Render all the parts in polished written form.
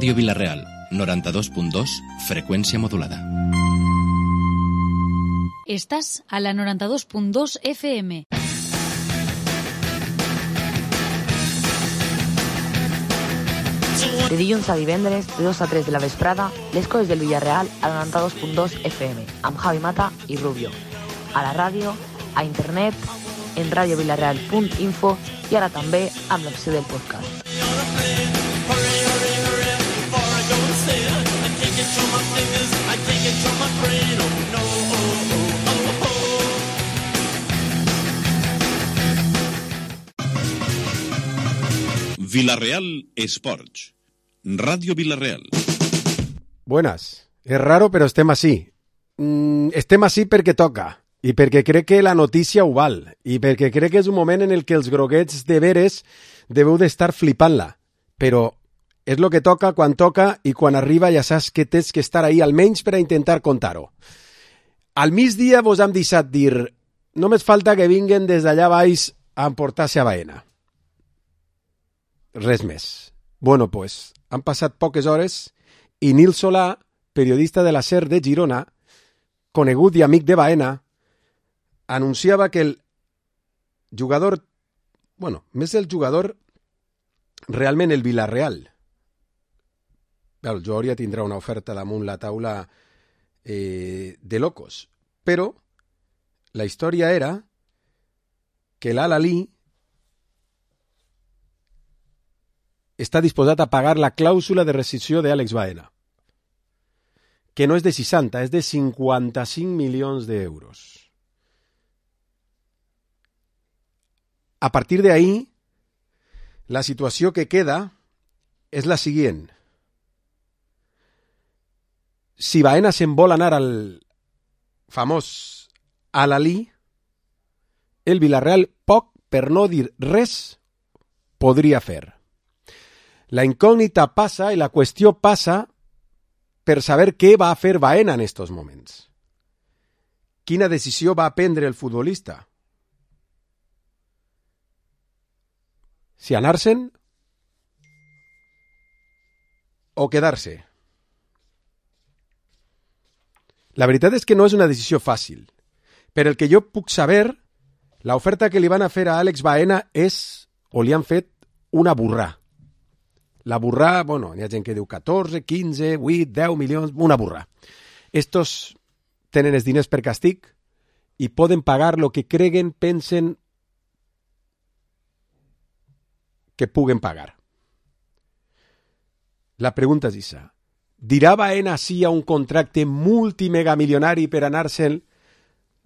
Ràdio Vila-real, 92.2, freqüència modulada. Estàs a la 92.2 FM. De dilluns a divendres, de 2 a 3 de la vesprada, les coses del Villarreal a la 92.2 FM, amb Javi Mata i Rubio. A la ràdio, a internet, en radiovilarreal.info i ara també amb l'opció del podcast. Vila-real Esports. Radio Vila-real. Buenas. És raro, però estem així. Estem així perquè toca, i perquè crec que la notícia ho val, i perquè crec que és un moment en el que els groguets de veres deveu d'estar flipant-la. Però és el que toca quan toca, i quan arriba ja saps que tens que estar ahí, almenys per a intentar contar-ho. Al migdia vos hem deixat dir, només falta que vinguen des d'allà baix a emportar-se a Baena. Res més. Bueno, pues, han passat poques hores i Nil Solà, periodista de la SER de Girona, conegut i amic de Baena, anunciava que el jugador, bueno, més el jugador, realment el Villarreal, el jugador ja tindrà una oferta damunt la taula de locos, però la història era que l'Al-Ahly està disposat a pagar la clàusula de rescissió d'Àlex Baena, que no és de 60, és de 55 milions d'euros. A partir d'ahí, la situació que queda és la següent. Si Baena se'n vol anar al famós Al-Ahly, el Villarreal poc, per no dir res, podria fer. La incògnita passa i la qüestió passa per saber què va fer Baena en estos moments. Quina decisió va prendre el futbolista? Si anar-se'n o quedar-se. La veritat és que no és una decisió fàcil. Per el que jo puc saber, l'oferta que li van a fer a Àlex Baena és, o li han fet, una burrà. La burrà, bueno, hi ha gent que diu 14, 15, 8, 10 milions, una burrà. Estos tenen els diners per càstig i poden pagar el que creguen, pensen que puguen pagar. La pregunta és issa. Dirà Baena sí a un contracte multimegamilionari per anar-se'n,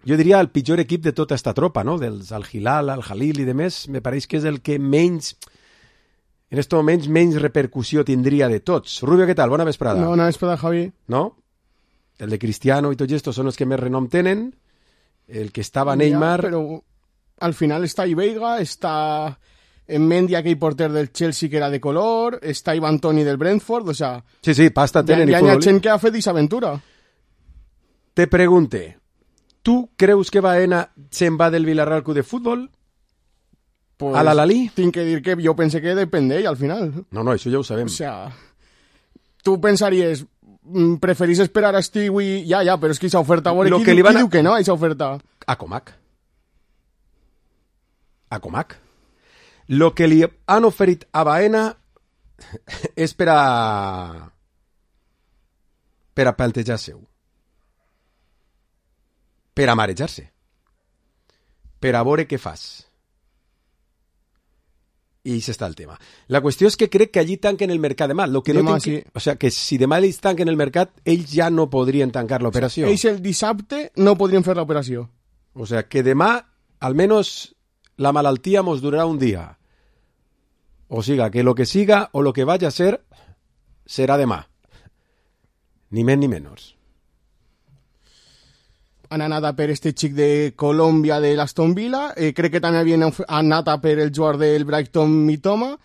jo diria, el pitjor equip de tota esta tropa, no? Dels Al-Hilal, Al-Jalil i demés, me pareix que és el que menys... En estos moments menys repercussió tindria de tots. Rubio, què tal? Bona vesprada. No, bona vesprada, Javi. No? El de Cristiano i tots estos són els que més renom tenen. El que estava Neymar... Ja, però al final està Veiga, està en Mendy, aquell porter del Chelsea que era de color, està Ivan Toney del Brentford, o sea... Sí, pasta tenen i futbol. Hi ha gent que ha fet disaventura. Te pregunte, tu creus que Baena se'n va del Villarreal Club de Futbol? Pues, a l'Al-Ahly? Tinc que dir que jo pensé que depèn d'ell al final. No, això ja ho sabem. O sea, tu pensaries, preferís esperar a Stewie... Ja, però és que aquesta oferta... Qui diu que no, aquesta oferta? A Comac. Lo que li han oferit a Baena és per a plantejar-se-ho. Per a marejar-se. Per a veure què fas. I això està el tema. La qüestió és que crec que allí tanquen el mercat demà. Lo que demà, no sí. O sea, que si demà ells tanquen el mercat, ells ja no podrien tancar l'operació. Ells el dissabte no podrien fer l'operació. O sea, que demà, almenys, la malaltia mos durarà un dia. O siga, que lo que siga o lo que vaya a ser, serà demà. Ni més ni menys. Han anat a per este xic de Colòmbia de l'Aston Villa, crec que també havien anat a per el jugador del Brighton Mitoma,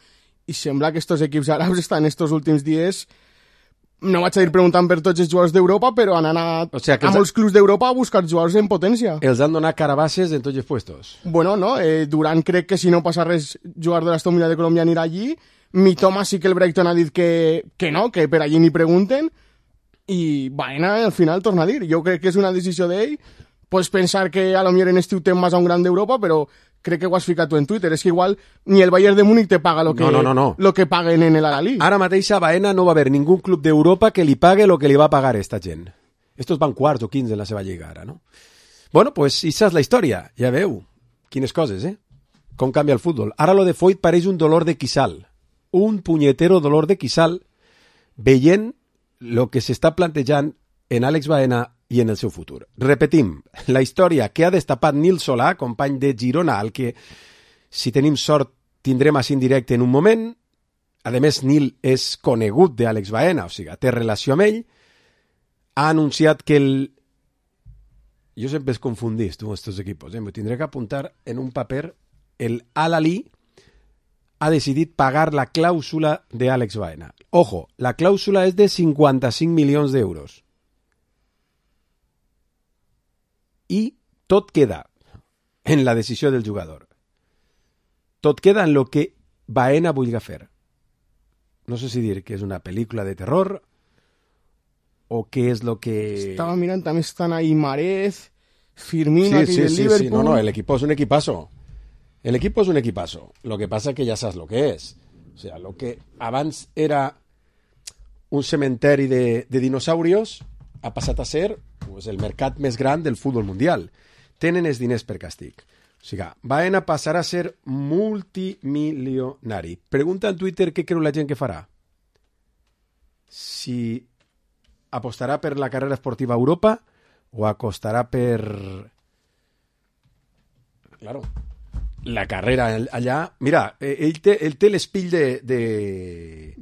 i sembla que estos equips àrabs estan estos últims dies, no vaig a dir preguntant per tots els jugadors d'Europa, però han anat a molts clubs d'Europa a buscar jugadors en potència. Els han donat carabasses en tots els puestos. Bueno, no, Durant crec que si no passa res, jugador de l'Aston Villa de Colòmbia anirà allí, Mitoma sí que el Brighton ha dit que no, que per allí ni pregunten, i Baena al final torna a dir. Jo crec que és una decisió d'ell. Pots pensar que a lo millor en este tema más a un gran d'Europa, però crec que ho has ficat tu en Twitter. És que igual ni el Bayern de Múnich te paga lo que paguen en el Al-Ahly. Ara mateix a Baena no va haver ningú club d'Europa que li pague lo que li va pagar esta gent. Estos van quarts o 15 en la seva lliga ara, no? Bueno, pues esa és la història. Ja veu. Quines coses, Com canvia el futbol. Ara lo de Foyt pareix un dolor de quissal. Un punyetero dolor de quissal veient lo que s'està plantejant en Àlex Baena i en el seu futur. Repetim, la història que ha destapat Nil Solà, company de Girona, al que, si tenim sort, tindrem així en directe en un moment. A més, Nil és conegut d'Àlex Baena, o sigui, té relació amb ell. Ha anunciat que Jo sempre es confundís, tu, estos equipos. Me tindré que apuntar en un paper. El Al-Ahly ha decidit pagar la clàusula de Àlex Baena. Ojo, la clàusula és de 55 milions d'euros. I tot queda en la decisió del jugador. Tot queda en lo que Baena vulgui fer. No sé si dir que és una pel·lícula de terror o què és lo que... Estava mirant, també estan ahí Marez, Firmino, sí, del Liverpool... No, el equipo es un equipazo. El equipo es un equipazo. Lo que pasa es que ya sabes lo que es. O sea, lo que abans era un cementeri de dinosaurios ha passat a ser pues, el mercat més gran del futbol mundial. Tenen els diners per càstig. O sigui, Baena passarà a ser multimilionari. Pregunta en Twitter què creu la gent que farà. Si apostarà per la carrera esportiva a Europa o apostarà per... Claro, la carrera allà... Mira, ell té l'espill de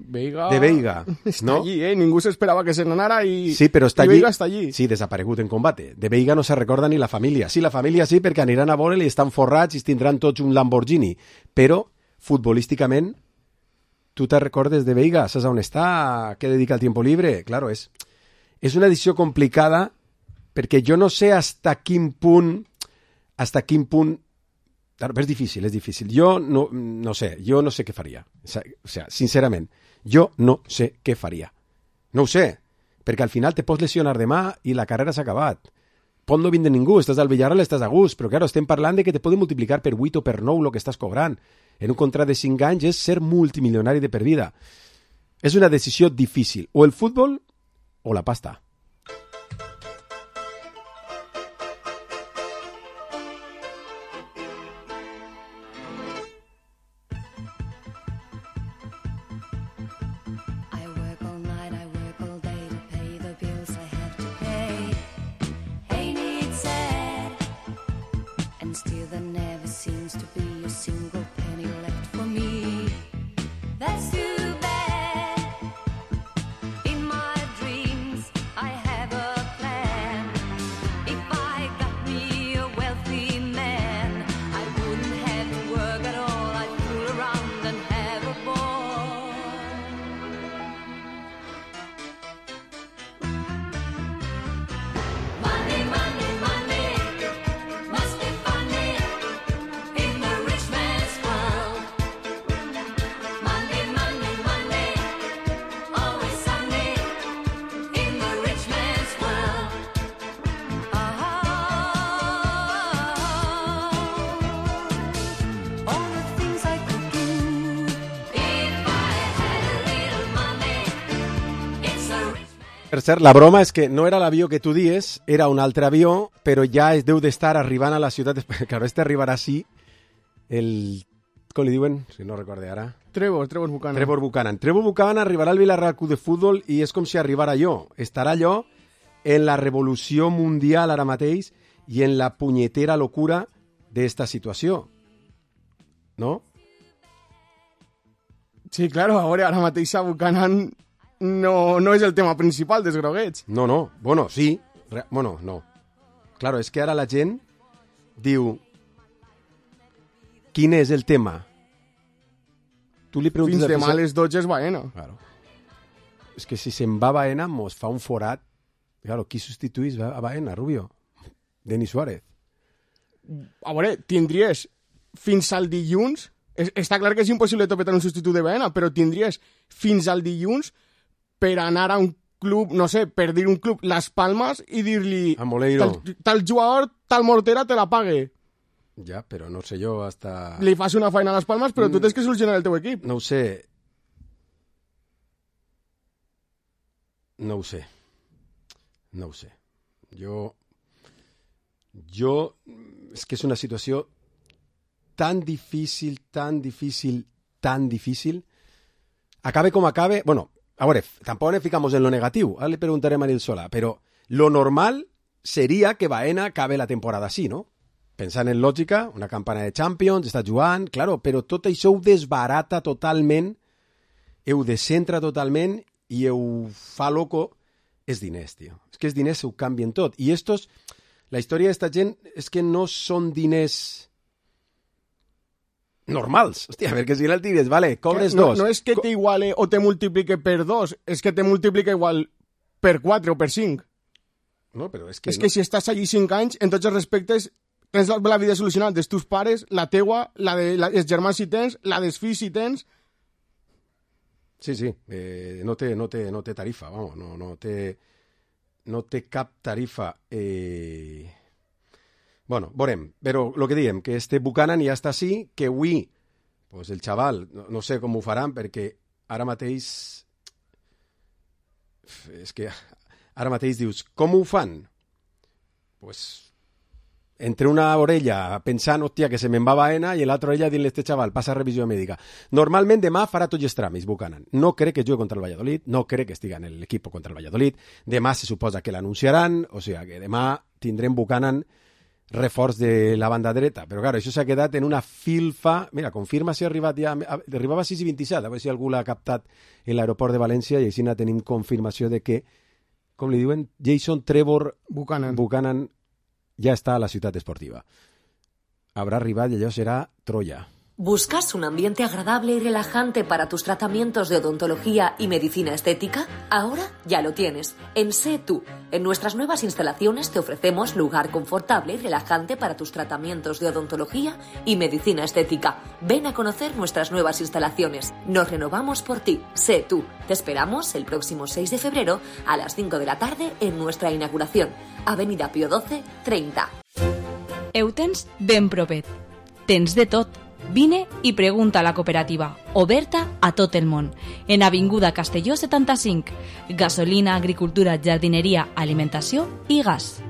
Veiga, està no? allí, ningú s'esperava que se n'anara i, sí, però està Veiga està allí. Sí, desaparegut en combate. De Veiga no se recorda ni la família. Sí, la família sí, perquè aniran a veure'l i estan forrats i tindran tots un Lamborghini. Però, futbolísticament, tu te recordes de Veiga? Saps on està? Què dedica el tiempo libre? Claro, és una decisió complicada perquè jo no sé hasta quin punt... Claro, és difícil. Jo no sé què faria. O sea, sincerament, jo no sé què faria. No ho sé, perquè al final te pots lesionar demà i la carrera s'ha acabat. Pot no vindre ningú, estàs al Villarreal, estàs a gust, però claro, estem parlant de que te poden multiplicar per 8 o per 9 el que estàs cobrant. En un contracte de 5 anys és ser multimilionari de per vida. És una decisió difícil. O el futbol o la pasta. Per cert, la broma és que no era l'avió que tu dies, era un altre avió, però ja es deu d'estar arribant a la ciutat... Claro, arribarà sí, com li diuen? Si no recorde ara. Trevor Buchanan. Trevor Buchanan arribarà al Villarreal Club de Futbol i és com si arribara jo. Estarà allò en la revolució mundial ara mateix i en la punyetera locura d'esta situació. No? Sí, claro, ara mateix a Buchanan... No és el tema principal dels groguets. No. Bueno, sí. No. Claro, és que ara la gent diu quin és el tema? Tu li preguntes... Fins demà a les 12 és Baena. Claro. És que si se'n va Baena mos fa un forat. Claro, qui substituís a Baena, Rubio? Denis Suárez. A veure, tindries fins al dilluns Està clar que és impossible topetar un substitut de Baena, però tindries fins al dilluns per anar a un club, no sé, per dir un club Las Palmas i dir-li tal jugador, tal mortera te la pague. Ja, però no sé jo hasta... Li fas una feina a Las Palmas, però tu tens que solucionar el teu equip. No ho sé. Jo... És que és una situació tan difícil. Acabe com acabe... Bueno, a veure, tampoc nos ficamos en lo negativo. Ahora le preguntaré a Manil Solà, però lo normal seria que Baena acabe la temporada així, no? Pensant en lògica, una campana de Champions, està jugant, claro, però tot això ho desbarata totalment, ho descentra totalment i ho fa loco. És diners, tio. És que els diners ho canvien tot. I estos... La història d'esta gent és que no són diners normals. Hòstia, perquè si el tires, vale, cobres dos. No és que t'iguale o te multiplique per 2, és que te multiplica igual per 4 o per 5. No, però és que... És que si estàs allí 5 anys, en tots els respectes, tens la vida solucionada dels teus pares, la teua, la dels germans si tens, la dels fills si tens... Sí. No té tarifa, vamos, no té cap tarifa. Bueno, veurem, però el que diem, que este Buchanan ja està així, que avui, pues el xaval, no sé com ho faran, perquè ara mateix... És que ara mateix dius, com ho fan? Pues entre una orella pensant, hòstia, que se me'n va Baena, i l'altra orella dient-li a este xaval, passa revisió mèdica. Normalment demà farà tots els tràmits, Buchanan. No crec que jugui contra el Valladolid, no crec que estigui en l'equip contra el Valladolid. Demà se suposa que l'anunciaran, o sigui que demà tindrem Buchanan reforç de la banda dreta. Però, clar, això s'ha quedat en una filfa... Mira, confirma si ha arribat ja... Arribava a 6:27, a veure si algú l'ha captat en l'aeroport de València, i així tenim confirmació de que, com li diuen, Jason Trevor Buchanan ya está a la ciudad esportiva. Habrá arribat y allò será Troya. ¿Buscas un ambiente agradable y relajante para tus tratamientos de odontología y medicina estética? Ahora ya lo tienes. En Sé Tú. En nuestras nuevas instalaciones te ofrecemos lugar confortable y relajante para tus tratamientos de odontología y medicina estética. Ven a conocer nuestras nuevas instalaciones. Nos renovamos por ti. Sé Tú. Te esperamos el próximo 6 de febrero a las 5 de la tarde en nuestra inauguración. Avenida Pío XII, 30. Ho tens ben propet. Tens de tot. Vine i pregunta a la cooperativa, oberta a tot el món. En Avinguda Castelló 75. Gasolina, agricultura, jardinería, alimentació i gas.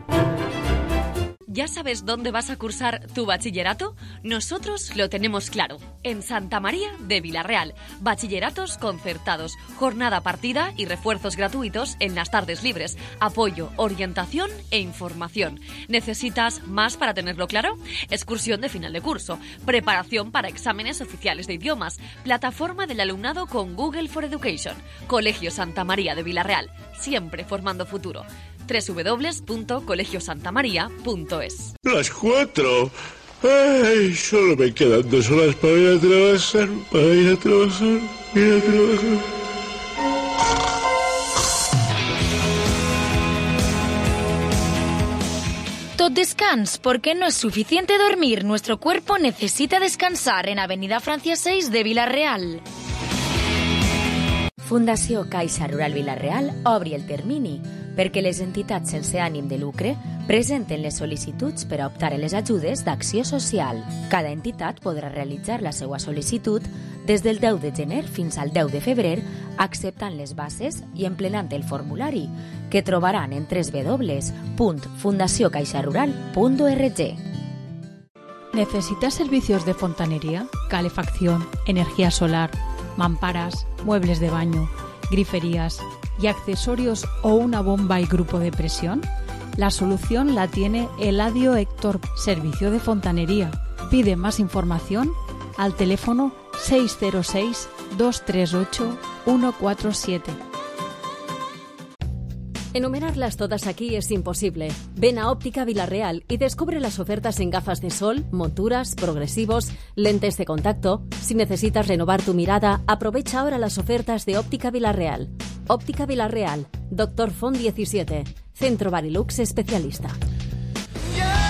¿Ya sabes dónde vas a cursar tu bachillerato? Nosotros lo tenemos claro. En Santa María de Vilarreal. Bachilleratos concertados, jornada partida y refuerzos gratuitos en las tardes libres. Apoyo, orientación e información. ¿Necesitas más para tenerlo claro? Excursión de final de curso. Preparación para exámenes oficiales de idiomas. Plataforma del alumnado con Google for Education. Colegio Santa María de Vilarreal. Siempre formando futuro. www.colegiosantamaria.es. Las 4. Ay, solo me quedan 2 horas para ir a trabajar. Tot descans, porque no es suficiente dormir. Nuestro cuerpo necesita descansar en Avenida Francia 6 de Vilarreal. Fundació Caixa Rural Vilarreal obri el termini perquè les entitats sense ànim de lucre presenten les sol·licituds per a optar a les ajudes d'acció social. Cada entitat podrà realitzar la seva sol·licitud des del 10 de gener fins al 10 de febrer, acceptant les bases i emplenant el formulari, que trobaran en www.fundaciocaixarural.org. ¿Necesitas servicios de fontanería, calefacción, energía solar, mamparas, muebles de baño, griferías y accesorios o una bomba y grupo de presión? La solución la tiene Eladio Héctor, Servicio de Fontanería. Pide más información al teléfono 606-238-147. Enumerarlas todas aquí es imposible. Ven a Óptica Vilarreal y descubre las ofertas en gafas de sol, monturas, progresivos, lentes de contacto. Si necesitas renovar tu mirada, aprovecha ahora las ofertas de Óptica Vilarreal. Óptica Vilarreal, Dr. Font 17, Centro Barilux Especialista.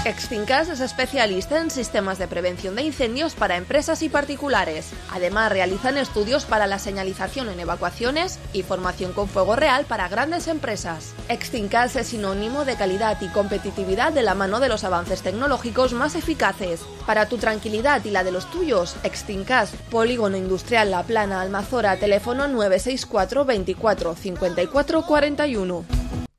Extincas es especialista en sistemas de prevención de incendios para empresas y particulares. Además, realizan estudios para la señalización en evacuaciones y formación con fuego real para grandes empresas. Extincas es sinónimo de calidad y competitividad de la mano de los avances tecnológicos más eficaces. Para tu tranquilidad y la de los tuyos, Extincas, Polígono Industrial La Plana, Almazora, teléfono 964 24 54 41.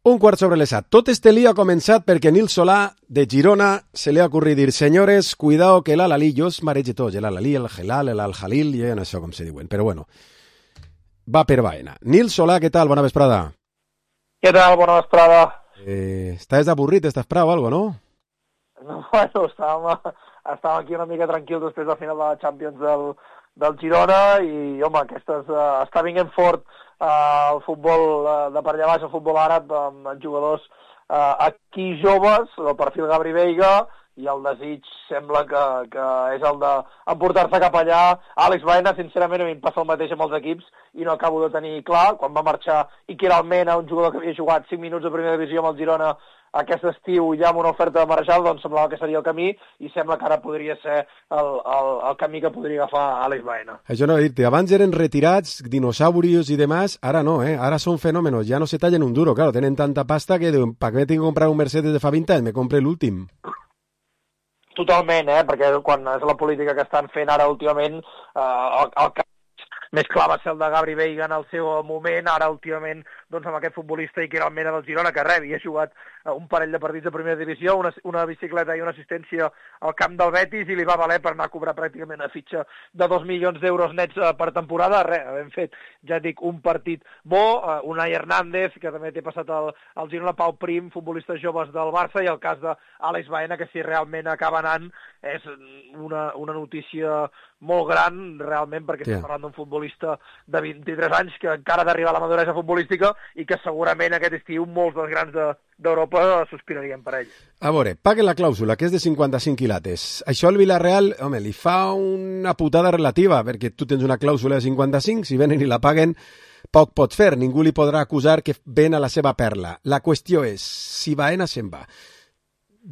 Un quart sobre les 7. Tot este lío ha començat perquè Nil Solà, de Girona, se li ha ocorrit dir: senyores, cuidao que l'Al-Ahly, jo es marege tot, l'Al-Ahly, el Hilal, l'Al-Jalil, jo no sé com se diuen, però bueno, va per Baena. Nil Solà, què tal? Bona vesprada. Què tal? Bona vesprada. Estàs avorrit, estàs prou, algo, no? No, bueno, estàvem aquí una mica tranquils després de la final de la Champions del Girona i, home, està vinguent fort el futbol de per allà baix, el futbol àrab, amb jugadors aquí joves, el perfil Gabri Veiga, i el desig sembla que és el d'emportar-se cap allà. Àlex Baena, sincerament, a mi em passa el mateix amb els equips i no acabo de tenir clar. Quan va marxar Iker Almena, un jugador que havia jugat 5 minuts de primera divisió amb el Girona aquest estiu ja amb una oferta de Marejal, doncs semblava que seria el camí i sembla que ara podria ser el camí que podria agafar Àlex Baena. Això no he dit, abans eren retirats, dinosaurios i demás, ara no, ara són fenòmenos, ja no se tallen un duro, claro, tenen tanta pasta que diuen, ¿para qué tengo que comprar un Mercedes de fa 20 anys? Me compre l'últim. Totalment, perquè quan és la política que estan fent ara últimament, el que més clar va ser el de Gabri Veiga en el seu moment, ara últimament doncs amb aquest futbolista Iker Almena del Girona, que havia jugat un parell de partits de primera divisió, una bicicleta i una assistència al camp del Betis, i li va valer per anar a cobrar pràcticament una fitxa de 2 milions d'euros nets per temporada. Hem fet, ja dic, un partit bo, Unai Hernández, que també té passat al Girona, Pau Prim, futbolistes joves del Barça, i el cas d'Àlex Baena, que si realment acaba anant és una notícia molt gran, realment, perquè estem parlant d'un futbolista de 23 anys que encara ha d'arribar a la maduresa futbolística i que segurament aquest estiu molts dels grans d'Europa sospirarien per ell. A veure, paguen la clàusula, que és de 55 quilates. Això al Villarreal, home, li fa una putada relativa, perquè tu tens una clàusula de 55, si venen i la paguen, poc pot fer, ningú li podrà acusar que ven a la seva perla. La qüestió és, si Baena se'n va,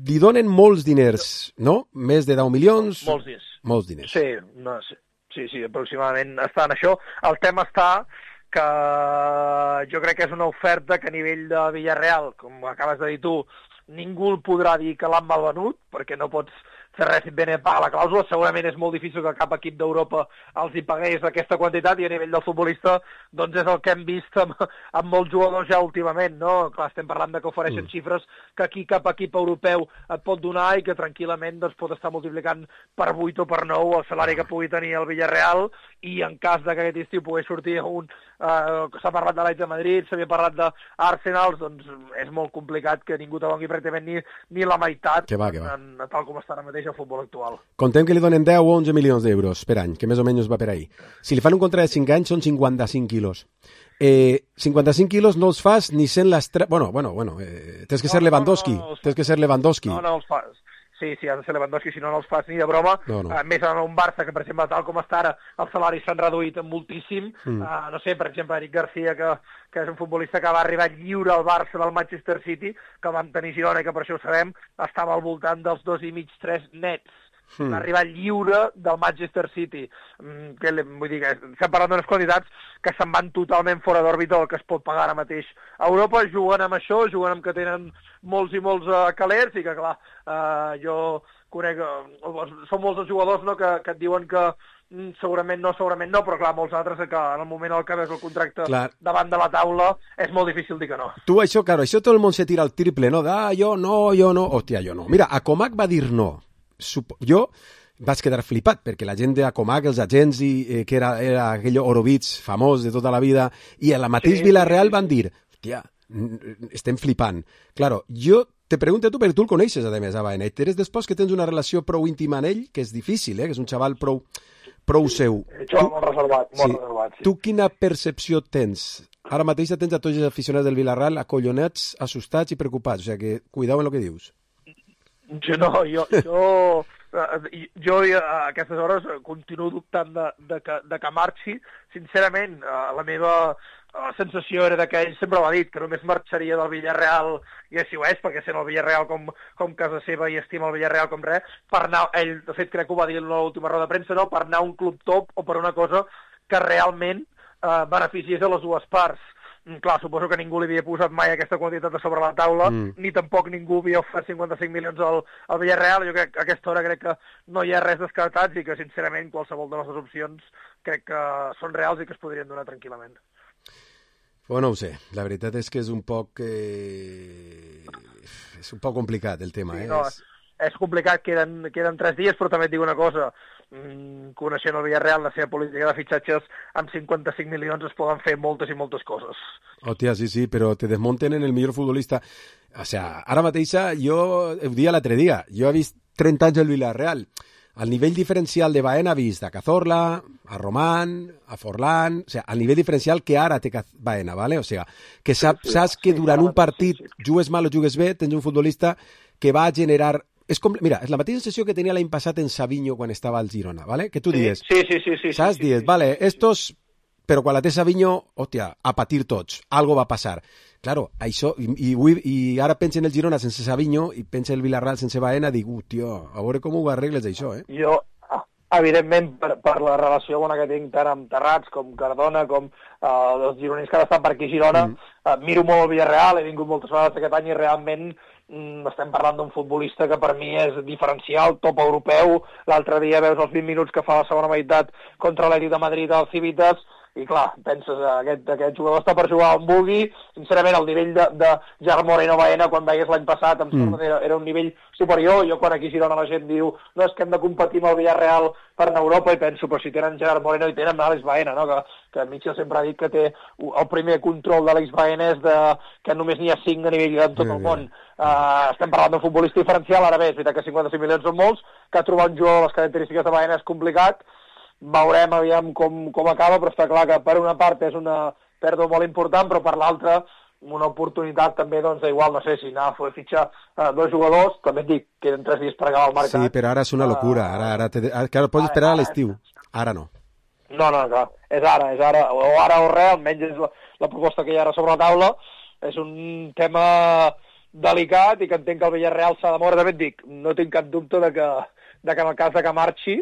li donen molts diners, no? Més de 10 milions? Molts diners. Molts diners. Sí, aproximadament està en això. El tema està que jo crec que és una oferta que a nivell de Villarreal, com acabes de dir tu, ningú el podrà dir que l'han malvenut, perquè no pots fer res si et venen a pagar la clàusula. Segurament és molt difícil que cap equip d'Europa els hi pagués aquesta quantitat, i a nivell del futbolista doncs és el que hem vist amb molts jugadors ja últimament, no? Clar, estem parlant de que ofereixen xifres que aquí cap equip europeu et pot donar i que tranquil·lament doncs, pot estar multiplicant per 8 o per 9 el salari que pugui tenir el Villarreal, i en cas de que aquest estiu pogués sortir s'ha parlat de l'Atlètic de Madrid, s'havia parlat d'Arsenal, doncs és molt complicat que ningú te doni pràcticament ni la meitat, tal com està ara mateix el futbol actual. Contem que li donen 10 o 11 milions d'euros per any, que més o menys va per ahí. Si li fan un contracte de 5 anys són 55 quilos. 55 quilos no els fas ni sent l'estrella... Bueno, tens que ser Lewandowski. Tens que ser Lewandowski. No els fas. Sí, ha de ser Lewandowski, si no els fas ni de broma. Més en un Barça que, per exemple, tal com està ara, els salaris s'han reduït moltíssim. No sé, per exemple, Eric García, que és un futbolista que va arribar lliure al Barça del Manchester City, que vam tenir Girona i que per això ho sabem, estava al voltant dels 2,5-3 nets. Va arribar lliure del Manchester City. Vull dir que estem parlant d'unes quantitats que se'n van totalment fora d'òrbita del que es pot pagar ara mateix a Europa. Juguen amb això, juguen amb que tenen molts i molts calers, i que, clar, jo conec... Són molts els jugadors, no?, que et diuen que segurament no, però clar, molts altres que en el moment en què veus el contracte davant de la taula és molt difícil dir que no. Tu això tot el món se tira al triple, no? Jo no. Hòstia, jo no. Mira, Acomac va dir no. Jo vaig quedar flipat, perquè la gent d'Acomac, els agents, que era aquell Horowitz famós de tota la vida, i a la mateix Villarreal van dir, hòstia, estem flipant. Claro, jo te pregunto tu, perquè tu el coneixes, a més, a Baena, i eres després que tens una relació prou íntima amb ell, que és difícil, que és un xaval prou seu. Molt reservat, sí. Tu quina percepció tens? Ara mateix tens a tots els aficionats del Villarreal acollonats, assustats i preocupats, o sigui que cuidao en el que dius. Jo jo a aquestes hores continuo dubtant de que marxi. Sincerament, la meva sensació era que ell sempre l'ha dit, que només marxaria del Villarreal, i així ho és, perquè sent el Villarreal com casa seva i estima el Villarreal com res, per anar, ell de fet crec que ho va dir en l'última roda de premsa, no? Per anar a un club top o per una cosa que realment beneficiés a les dues parts. Clar, suposo que ningú li havia posat mai aquesta quantitat a sobre la taula, ni tampoc ningú havia ofert 55 milions al Villarreal. Jo crec que a aquesta hora crec que no hi ha res descartats i que, sincerament, qualsevol de les dues opcions crec que són reals i que es podrien donar tranquil·lament. Bueno, no ho sé. La veritat és que és un poc complicat el tema. Sí, no, és complicat, queden 3 dies, però també et dic una cosa. Coneixent el Villarreal, la seva política de fitxatges, amb 55 milions es poden fer moltes i moltes coses. Hòstia, sí, però te desmonten en el millor futbolista. O sea, ara mateixa, jo ho dia l'altre dia, jo he vist 30 anys el Villarreal. El nivell diferencial de Baena ha vist a Cazorla, a Román, a Forlán, o sea, el nivell diferencial que ara té Baena, ¿vale? O sea, que saps que durant un partit, jugues mal o jugues bé, tens un futbolista que va a generar... Mira, és la mateixa sensació que tenia l'any passat en Savinho quan estava al Girona, ¿vale? Que tu dius, saps? Dius, vale, estos... Però quan la té Savinho, hòstia, a patir tots, algo va passar. Claro, això, i ara pensa en el Girona sense Savinho i pensa el Villarreal sense Baena, dic, tio, a veure com ho arregles això, eh? Jo, evidentment, per la relació bona que tinc tant amb Terrats com Cardona, com els gironins que han estat per aquí a Girona, miro molt el Villarreal, he vingut moltes vegades aquest any i realment estem parlant d'un futbolista que per mi és diferencial, top europeu. L'altre dia veus els 20 minuts que fa la segona meitat contra l'Atlètic de Madrid al Civitas i clar, penses, aquest jugador està per jugar on vulgui. Sincerament, el nivell de Gerard Moreno Baena, quan veies l'any passat, em sembla era un nivell superior. Jo, quan aquí a Girona la gent diu no, és que hem de competir amb el Villarreal per anar a Europa, i penso, però si tenen Gerard Moreno i tenen Àlex Baena, no? Que Mitchell sempre ha dit que té el primer control d'Àlex Baena és que només n'hi ha 5 a nivell en tot el món. Estem parlant d'un futbolista diferencial. Ara bé, és veritat que 55 milions són molts, que trobar un jugador de les característiques de Baena és complicat. Veurem aviam com acaba, però està clar que per una part és una pèrdua molt important, però per l'altra una oportunitat també, doncs, igual, no sé, si anar a fitxar 2 jugadors, també et dic, queden 3 dies per acabar el mercat. Sí, però ara és una locura, ara pots esperar a l'estiu, ara no. No, clar, és ara, o ara o res, almenys és la proposta que hi ha ara sobre la taula. És un tema delicat i que entenc que el Villarreal s'ha de moure. També et dic, no tinc cap dubte de que en el cas de que marxi,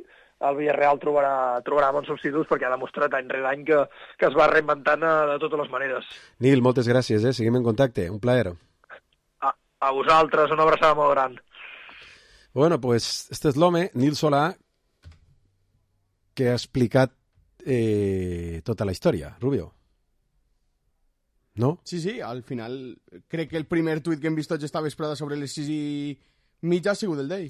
el Villarreal trobarà bons substituts, perquè ha demostrat any rere any que es va reinventant de totes les maneres. Nil, moltes gràcies, seguim en contacte, un plaer. A vosaltres, una abraçada molt gran. Bueno, pues este és l'home, Nil Solà, que ha explicat tota la història, Rubio. No? Sí, al final crec que el primer tuit que hem vist tots esta vesprada sobre les 6:30 ha sigut el d'ell.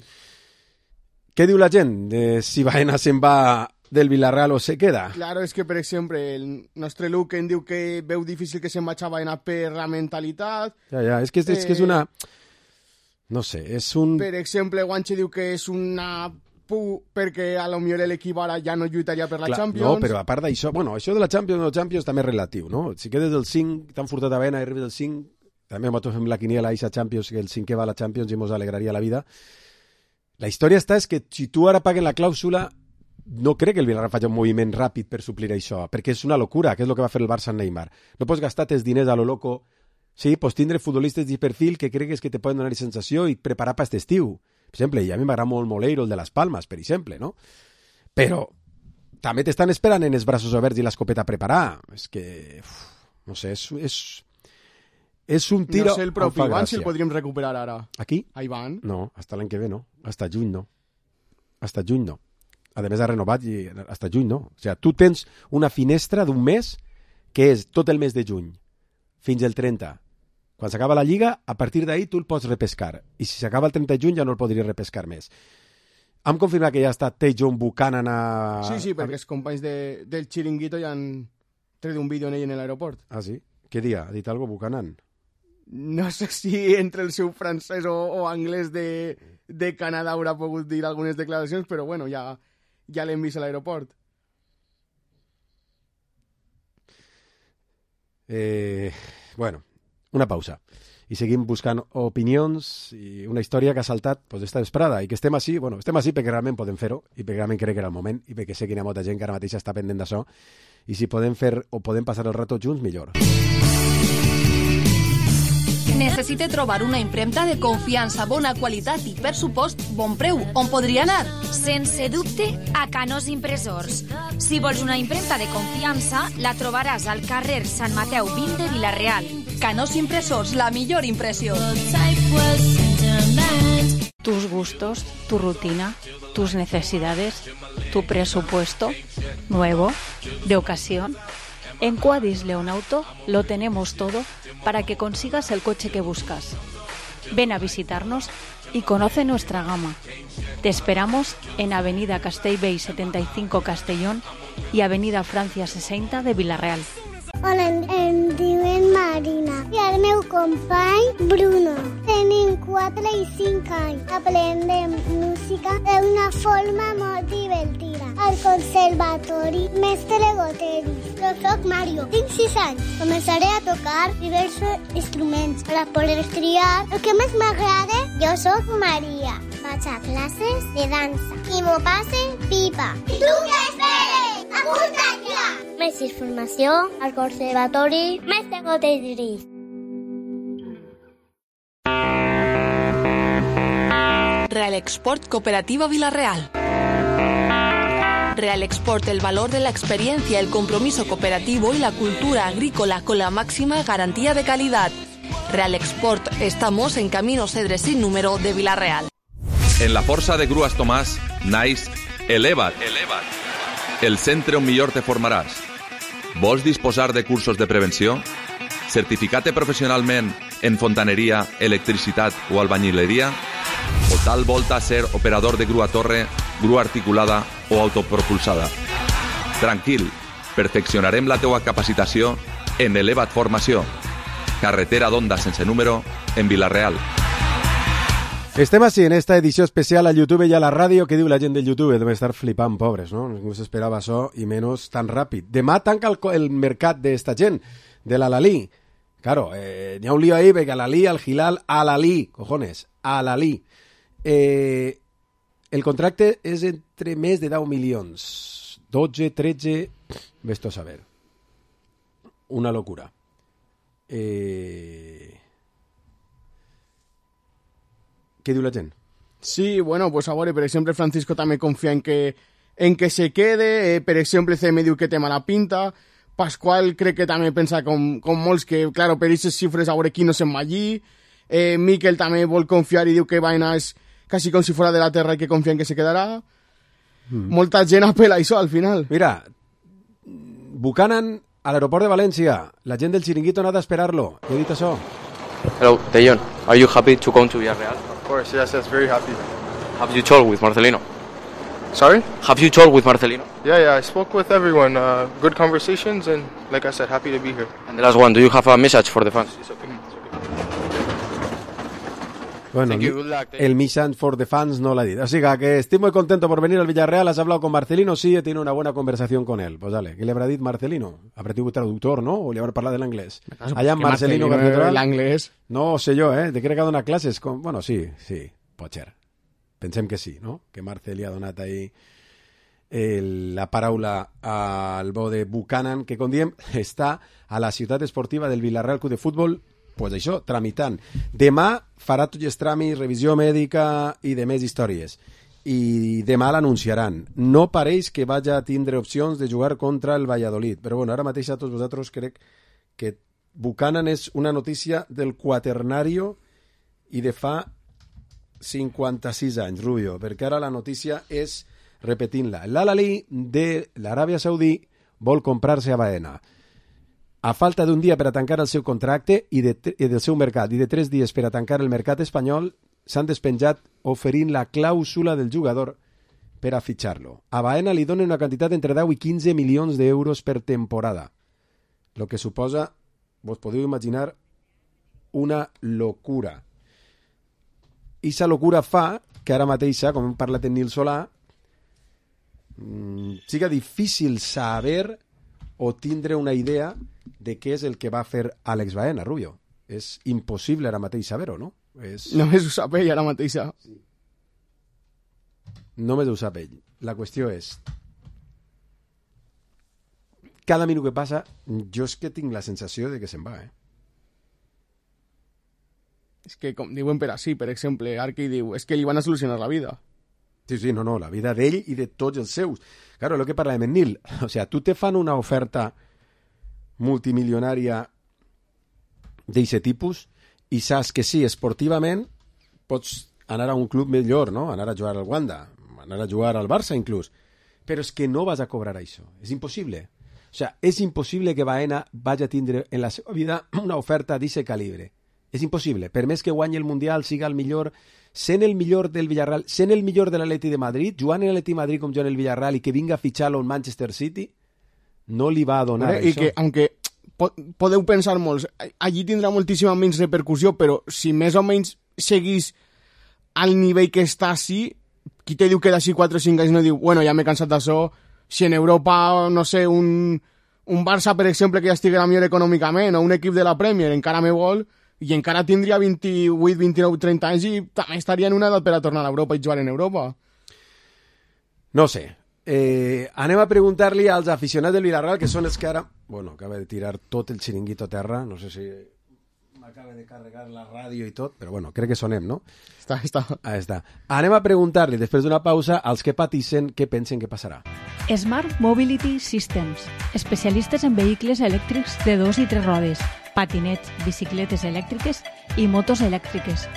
Què diu la gent de si Baena se'n va del Villarreal o se queda? Claro, és que, per exemple, el nostre Luke em diu que veu difícil que se'n vagi a Baena per la mentalitat. Ja, és que és una... No sé, és un... Per exemple, Guanche diu que és una perquè a lo millor l'equip ara ja no lluitaria per la Champions. No, però a part d'això, bueno, això de la Champions també és relatiu, no? Si quedes del 5, t'han furtat a Baena i arribes del 5, també nosaltres fem la quiniela a Champions, que el 5è va a la Champions i mos alegraria la vida. La història és que si tu ara paguen la clàusula, no crec que el Villarreal faci un moviment ràpid per suplir això, perquè és una locura, que és el que va fer el Barça amb Neymar. No pots gastar els diners a lo loco. Sí, pots tindre futbolistes de perfil que cregues que te poden donar sensació i preparar per aquest estiu. Per exemple, i a mi m'agrada molt Moleiro, el de les Palmes, per exemple, no? Però també t'estan esperant en els braços oberts i l'escopeta a preparar. És que, no sé, és un tiro... No sé, el propi Ivan si el podríem recuperar ara. Aquí? A Ivan? No, hasta l'any que ve no. Hasta juny no. Hasta juny no. A més ha renovat i hasta juny no. O sigui, tu tens una finestra d'un mes que és tot el mes de juny fins el 30. Quan s'acaba la Lliga, a partir d'ahir tu el pots repescar. I si s'acaba el 30 de juny ja no el podries repescar més. Hem confirmat que ja està Tejon Buchanan a... Sí, perquè els companys del Chiringuito ja han tret un vídeo en ell en l'aeroport. Ah, sí? Què dia? Ha dit alguna cosa Buchanan? No sé si entre el seu francès o anglès de Canadà haurà pogut dir algunes declaracions, però bueno, ja l'hem vist a l'aeroport. Bueno, Una pausa. I seguim buscant opinions i una història que ha saltat esta vesprada i que estem així perquè realment podem fer-ho i perquè realment crec que era el moment i perquè sé que hi ha molta gent que ara mateix està pendent d'això i si podem fer o podem passar el rato junts, millor. Necessite trobar una impremta de confiança, bona qualitat i, per supost, bon preu. On podria anar? Sense dubte, a Canós Impressors. Si vols una impremta de confiança, la trobaràs al carrer Sant Mateu 20 de Vila-real. Canós Impressors, la millor impressió. Tus gustos, tu rutina, tus necesidades, tu presupuesto, nuevo, de ocasión. En Quadis Leonauto lo tenemos todo para que consigas el coche que buscas. Ven a visitarnos y conoce nuestra gama. Te esperamos en Avenida Castellbell 75 Castellón y Avenida Francia 60 de Vila-real. Hola, em diuen Marina i el meu company Bruno. Tenim 4 i 5 anys. Aprendem música d'una forma molt divertida. Al conservatori Mestre Goteris. Jo soc Mario, tinc 6 anys. Començaré a tocar diversos instruments per a poder triar el que més m'agrada. Jo soc Maria. Vaig a classes de dansa i m'ho passe pipa. Tu què esperes? Apunta't ja! Més informació al conservatori Mestre Goteris. Real Export Cooperativa Vila-real. Real Export, el valor de la experiencia, el compromiso cooperativo y la cultura agrícola con la máxima garantía de calidad. Real Export, estamos en Camino Cedres sin número de Vila-real. En la Força de Grues Tomàs, naix Eleva't. El centre on millor te formaràs. Vols disposar de cursos de prevenció? Certificat professionalment en fontaneria, electricitat o albañileria? O tal volta ser operador de grua torre, grua articulada o autopropulsada? Tranquil, perfeccionarem la teua capacitació en Eleva't Formació. Carretera d'Onda sense número en Vila-real. Estem així en esta edició especial a YouTube i a la ràdio. Què diu la gent del YouTube? Deben estar flipant, pobres, no? Ningú s'esperava això i menys tan ràpid. Demà tanca el mercat d'esta gent, de l'Al-Ahly. Claro, n'hi ha un lío ahí, perquè Al-Ahly, Al-Hilal, Al-Ahly, cojones, Al-Ahly. El contracte és entre més de 10 milions. 12, 13, ves-t'ho a saber. Una locura. Què diu la gent? Sí, bueno, pues a veure, per exemple, Francisco també confia en que se quede, per exemple, CM diu que té mala pinta, Pasqual crec que també pensa com molts que, claro, per aquestes xifres a veure qui no se'n va allí, Miquel també vol confiar i diu que Baena és quasi com si fora de la terra i que confia en que se quedarà. Molta gent apela a això al final. Mira, Buchanan a l'aeroport de València, la gent del Chiringuito ha anat a esperar-lo. He dit això. Hello, Dejon, are you happy to come to Villarreal? Of course, yes, very happy. Have you talked with Marcelino? Sorry? Have you talked with Marcelino? Yeah, I spoke with everyone. Good conversations, and like I said, happy to be here. And the last one, do you have a message for the fans? It's okay. Bueno, el mission for the fans no l'ha dit. O sea, que estoy muy contento por venir al Villarreal. ¿Has hablado con Marcelino? Sí, he tenido una buena conversación con él. Pues dale, ¿qué le habrá dicho Marcelino? ¿Habrá tenido traductor, no? ¿O le habrá hablado en inglés? Allá Marcelino el inglés. No sé yo, ¿eh? De què ha donat classes? Bueno, sí, pot ser. Pensem que sí, no? Que Marcel li ha donat ahí la paraula al bo de Buchanan, que, com diem, està a la ciutat esportiva del Villarreal Club de Futbol, pues això, tramitant. Demà farà tots els tràmits, revisió mèdica i de més històries. I demà l'anunciaran. No pareix que vagi a tindre opcions de jugar contra el Valladolid. Però bueno, ara mateix a tots vosaltres crec que Buchanan és una notícia del quaternario i de fa 56 anys, Rubio, perquè ara la notícia és, repetint-la, l'Al-Ahly de l'Aràbia Saudí vol comprar-se a Baena. A falta d'un dia per a tancar el seu contracte i del seu mercat i de 3 dies per a tancar el mercat espanyol, s'han despenjat oferint la clàusula del jugador per a fitxar-lo. A Baena li donen una quantitat entre 10 i 15 milions d'euros per temporada, el que suposa, vos podeu imaginar, una locura. I aquesta locura fa que ara mateixa, com hem parlat en Nil Solà, siga difícil saber o tindre una idea de què és el que va fer Àlex Baena, Rubio. És impossible ara mateix saber-ho, no? Només ho sap ell ara mateix. Sí. Només ho sap ell. La qüestió és... Cada minut que passa, jo és que tinc la sensació de que se'n va, És que, com diuen per així, per exemple, Arqui diu, és que li van a solucionar la vida. Sí, no, la vida d'ell i de tots els seus. Claro, el que parlàvem en Nil. O sea, tu te fan una oferta multimilionària d'aquest tipus i saps que sí, esportivament pots anar a un club millor, no? Anar a jugar al Wanda, anar a jugar al Barça inclús. Però és que no vas a cobrar això. És impossible. O sea, és impossible que Baena vagi a tindre en la seva vida una oferta d'aquest calibre. És impossible. Per més que guanyi el Mundial, siga el millor, sent el millor del Villarreal, sent el millor de l'Atleti de Madrid, jugant en l'Atleti de Madrid com jugant el Villarreal i que vinga a fitxar-lo en Manchester City, no li va a donar això. I que, aunque podeu pensar molts, allí tindrà moltíssima menys repercussió, però si més o menys seguís al nivell que està així, qui te diu que d'així 4 o 5 anys no diu, bueno, ja m'he cansat d'això, si en Europa, no sé, un Barça, per exemple, que ja estiguera millor econòmicament, o un equip de la Premier encara me vol, i encara tindria 28, 29, 30 anys i també estaria en una edat per a tornar a Europa i jugar en Europa. No sé. Anem a preguntar-li als aficionats del Villarreal, que són els que ara... Bueno, acaba de tirar tot el xiringuito a terra, no sé si m'acaba de carregar la ràdio i tot, però bueno, crec que sonem, no? Està. Ah, està. Anem a preguntar-li, després d'una pausa, als que patissen què pensen que passarà. Smart Mobility Systems, especialistes en vehicles elèctrics de 2 i 3 rodes, patinets, bicicletes elèctriques i motos elèctriques.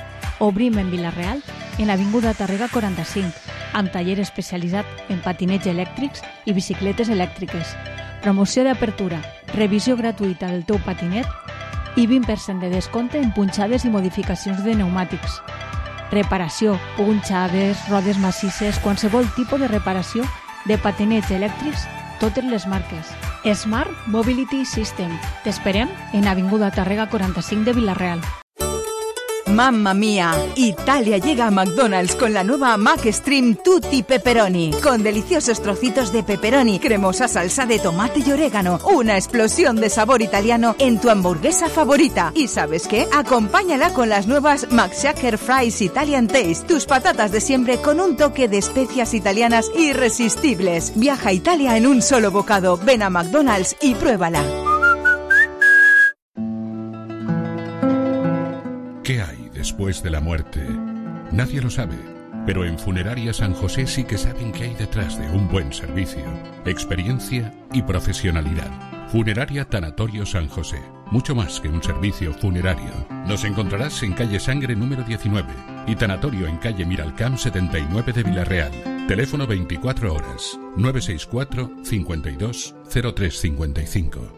Obrim en Vila-real, en l'avinguda Tàrrega 45, amb taller especialitzat en patinets elèctrics i bicicletes elèctriques. Promoció d'apertura, revisió gratuïta del teu patinet i 20% de descompte en punxades i modificacions de pneumàtics. Reparació, punxades, rodes massisses, qualsevol tipus de reparació de patinets elèctrics, totes les marques. Smart Mobility System. T'esperem en Avinguda Tàrrega 45 de Vila-real. ¡Mamma mía! Italia llega a McDonald's con la nueva McStream Tutti Pepperoni, con deliciosos trocitos de pepperoni, cremosa salsa de tomate y orégano, una explosión de sabor italiano en tu hamburguesa favorita. ¿Y sabes qué? Acompáñala con las nuevas McShaker Fries Italian Taste, tus patatas de siempre con un toque de especias italianas irresistibles. Viaja a Italia en un solo bocado. Ven a McDonald's y pruébala. ¿Qué hay después de la muerte? Nadie lo sabe, pero en Funeraria San José sí que saben qué hay detrás de un buen servicio, experiencia y profesionalidad. Funeraria Tanatorio San José, mucho más que un servicio funerario. Nos encontrarás en calle Sangre número 19 y Tanatorio en calle Miralcamp 79 de Vila-real. Teléfono 24 horas, 964 52 0355.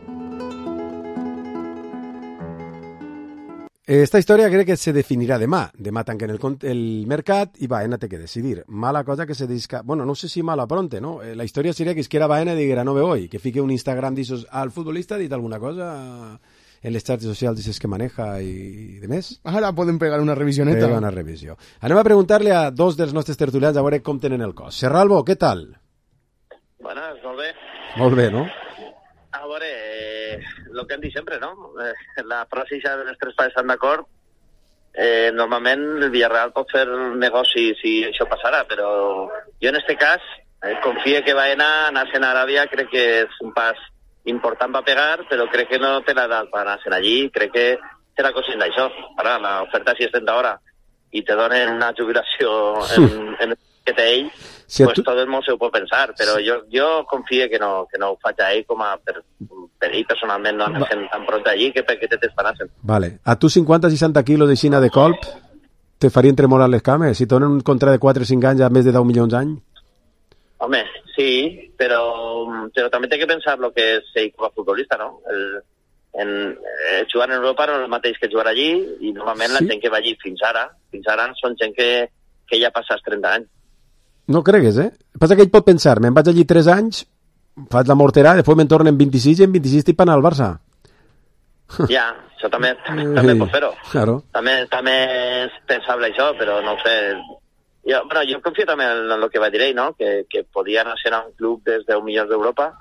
Esta història crec que se definirà demà. Demà tanquen el mercat i Baena té que decidir. Mala cosa que se disca... Bueno, no sé si mala pronte, no? La història seria que isquiera Baena i diguera no me voy, que fique un Instagram d'issos al futbolista, ha dit alguna cosa en les xarxes socials d'isses que maneja i de més. Ara podem pegar una revisioneta. Pega una revisió. Anem a preguntar-li a dos dels nostres tertulians a veure com tenen el cos. Serralbo, què tal? Buenas, molt bé. Molt bé, no? A veure, el que hem dit sempre, no? La frase ja de les tres parts estan d'acord. Normalment el Villarreal pot fer negoci si això passarà, però jo en este cas confio que Baena anar-se'n a Aràbia, crec que és un pas important per pegar, però crec que no té l'edat per anar-se'n allí, crec que serà conscient d'això. Ara, l'oferta si és 30 hora i te donen una jubilació en que té ell, si pues tot el món se ho pot pensar, però jo confio que no ho faig a ell com a per ell personalment no anar-se'n tan pront allí que perquè te t'esperassin. Vale. A tu 50-60 quilos de xina de colp te farien tremolar les cames? Si donen un contracte de 4 o 5 anys a més de 10 milions d'any? Home, sí, però també té que pensar el que és ell com a futbolista, no? Jugar en Europa no és el mateix que jugar allí i normalment la gent que va allí fins ara són gent que ja passas 30 anys. No cregues, Passa que ell pot pensar, me'n vaig allí 3 anys, faig la morterà, després me'n tornen 26 i en 26 estic anant al Barça. Ja, això també pot fer-ho. Claro. També és pensable això, però no ho sé. Jo confio també en el que va dir ell, no? Que podia anar a un club des de 10 milions d'Europa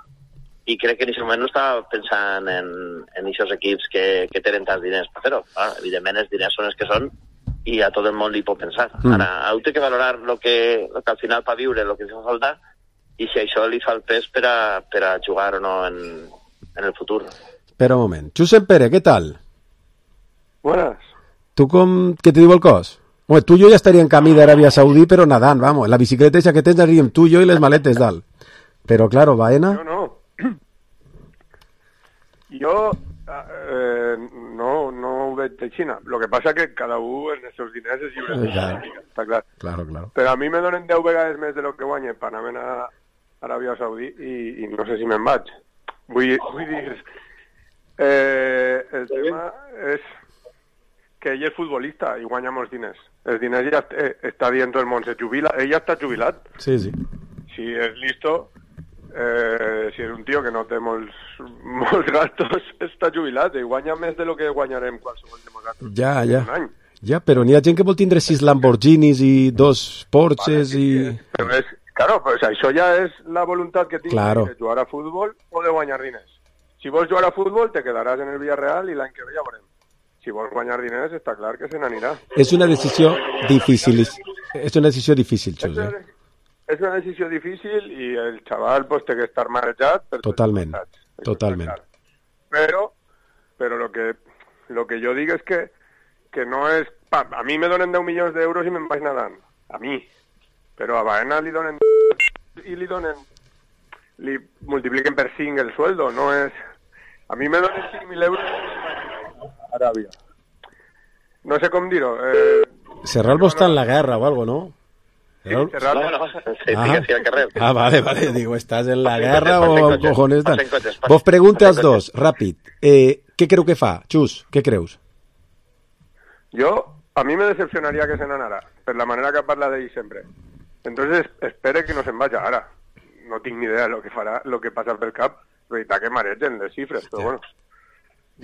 i crec que en aquest moment no estava pensant en aquests equips que tenen tants diners per fer-ho. Evidentment els diners són els que són i a tot el món li pot pensar. Ara, heu de valorar el que al final fa viure, el que fa falta, i si això li fa el pes per a jugar o no en el futur. Espera un moment. Josep Pere, ¿qué tal? Buenas. ¿Tú qué te digo el cos? Bueno, tú y yo ya estaría en camí de Arabia Saudí, pero nadant, vamos. La bicicleta esa que tens anaríem tú y yo y les maletes, dalt. Pero claro, Baena... Jo no ho veig de Xina. Lo que passa que cada un en els seus diners és lliure. Està clar. Claro. Però a mi me donen 10 vegades més de lo que guanye per anar a Aràbia Saudí i no sé si me'n vaig. Vull dir... el tema és que ell és futbolista i guanya molts diners. Els diners ja està dient tot el món, se jubila. Ell ja està jubilat. Sí. Si és listo... si és un tio que no té molts gastos, està jubilat i guanya més de lo que guanyarem qualsevol de nosaltres un any. Ja, però n'hi ha gent que vol tindre 6 Lamborghinis i 2 Porsches Però claro, pues això ja és la voluntat que tinc de jugar a futbol o de guanyar diners. Si vols jugar a futbol te quedaràs en el Villarreal i l'any que ve ja veurem. Si vols guanyar diners està clar que se n'anirà. És una decisió difícil. És una decisió difícil, Xus, És una decisió difícil i el xaval pues, té que estar marejat. Totalment. Però lo que jo dic és que no és... A mi me donen 10 milions d'euros i me'n vaig nadant. A mi. Però a Baena li donen... i li multipliquen per 5 el sueldo. No és... A mi me donen 5.000 euros a Aràbia. No sé com dir-ho. Serralbo està en la guerra o algo, ¿no? No, sí, al carrer. Vale, digo, ¿estás en la guerra o cojones tal? Vos pregunte als dos, ràpid. Què creu que fa? Xus, què creus? A mi me decepcionaria que se n'anara, per la manera que parla d'ell sempre. Entonces, espere que no se'n vaya ara. No tinc ni idea de lo que farà, lo que passa pel cap. Veritat que maregen les xifres, però bueno.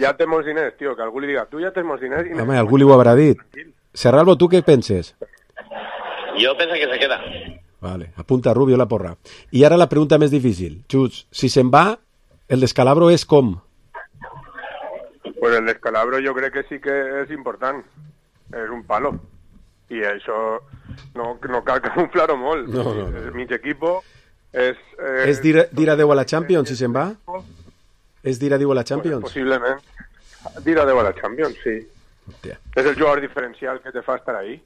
Ja té molts diners, tio, que algú li diga, tu ja tens molts diners... Home, algú li ho haurà dit. Serralbo, tu què penses? Jo penso que se queda. Vale, apunta Rubio la porra. I ara la pregunta més difícil. Xus, si se'n va, el descalabro és com? Pues el descalabro jo crec que sí que és important. És un palo. I això no cal camuflar-ho molt. No. Mig equipo és... És dir adeu a la Champions, si se'n va? És dir adeu a la Champions? Pues possiblement. Dir adeu a la Champions, sí. Hòstia. És el jugador diferencial que te fa estar ahí.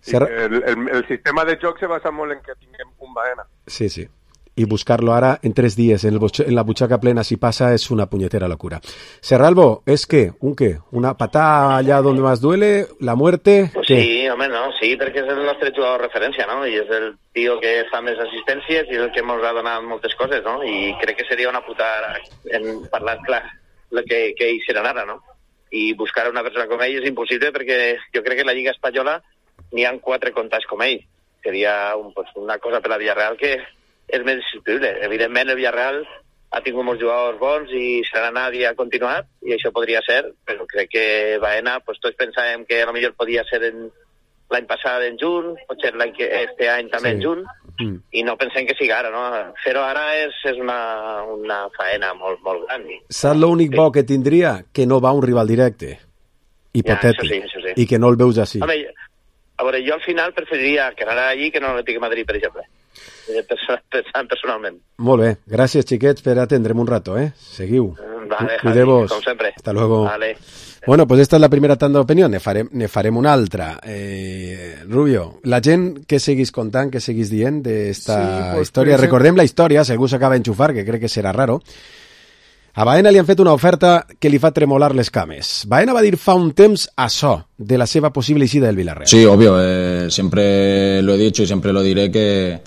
El sistema de joc se basa molt en que tinguem un Baena. Sí. Y buscarlo ahora en 3 días en la buchaca plena, si pasa, es una puñetera locura. Serralbo, ¿es qué? ¿Un qué? ¿Una patada allá donde más duele? ¿La muerte? Pues sí, home, no, sí, perquè és el nostre jugador de referència, no? I és el tio que fa més assistències i el que ens ha donat moltes coses, no? I crec que seria una putada, en parlar clar, el que ell serà ara, no? I buscar una persona com ell és impossible perquè jo crec que la Lliga Espanyola n'hi ha 4 comptats com ell. Seria una cosa per la Villarreal que és més insubstituible. Evidentment, el Villarreal ha tingut molts jugadors bons i serà anat i ha continuat, i això podria ser, però crec que Baena, tots pensàvem que potser podia ser l'any passat en juny, potser este any també en juny, i no pensem que sigui ara, no? Fer-ho ara és una faena molt, molt gran. Saps l'únic bo que tindria? Que no va un rival directe, hipotètic, això sí. I que no el veus així. Home, a veure, jo al final preferiria que anara allí que no l'Atlètic de Madrid, per exemple. Pensant personalment. Molt bé, gràcies xiquets per atendre'm un rato, Seguiu. Vale, Cuideu-vos. Com sempre. Hasta luego. Vale. Bueno, pues esta es la primera tanda d'opinió, ne farem una altra. Rubio, la gent que seguís contant, que seguís dient d'esta història, recordem la història, si algú s'acaba d'enxufar, que crec que serà raro. A Baena li han fet una oferta que li fa tremolar les cames. Baena va dir fa un temps açò de la seva possible eixida del Villarreal. Sí, obvio, siempre lo he dicho y siempre lo diré que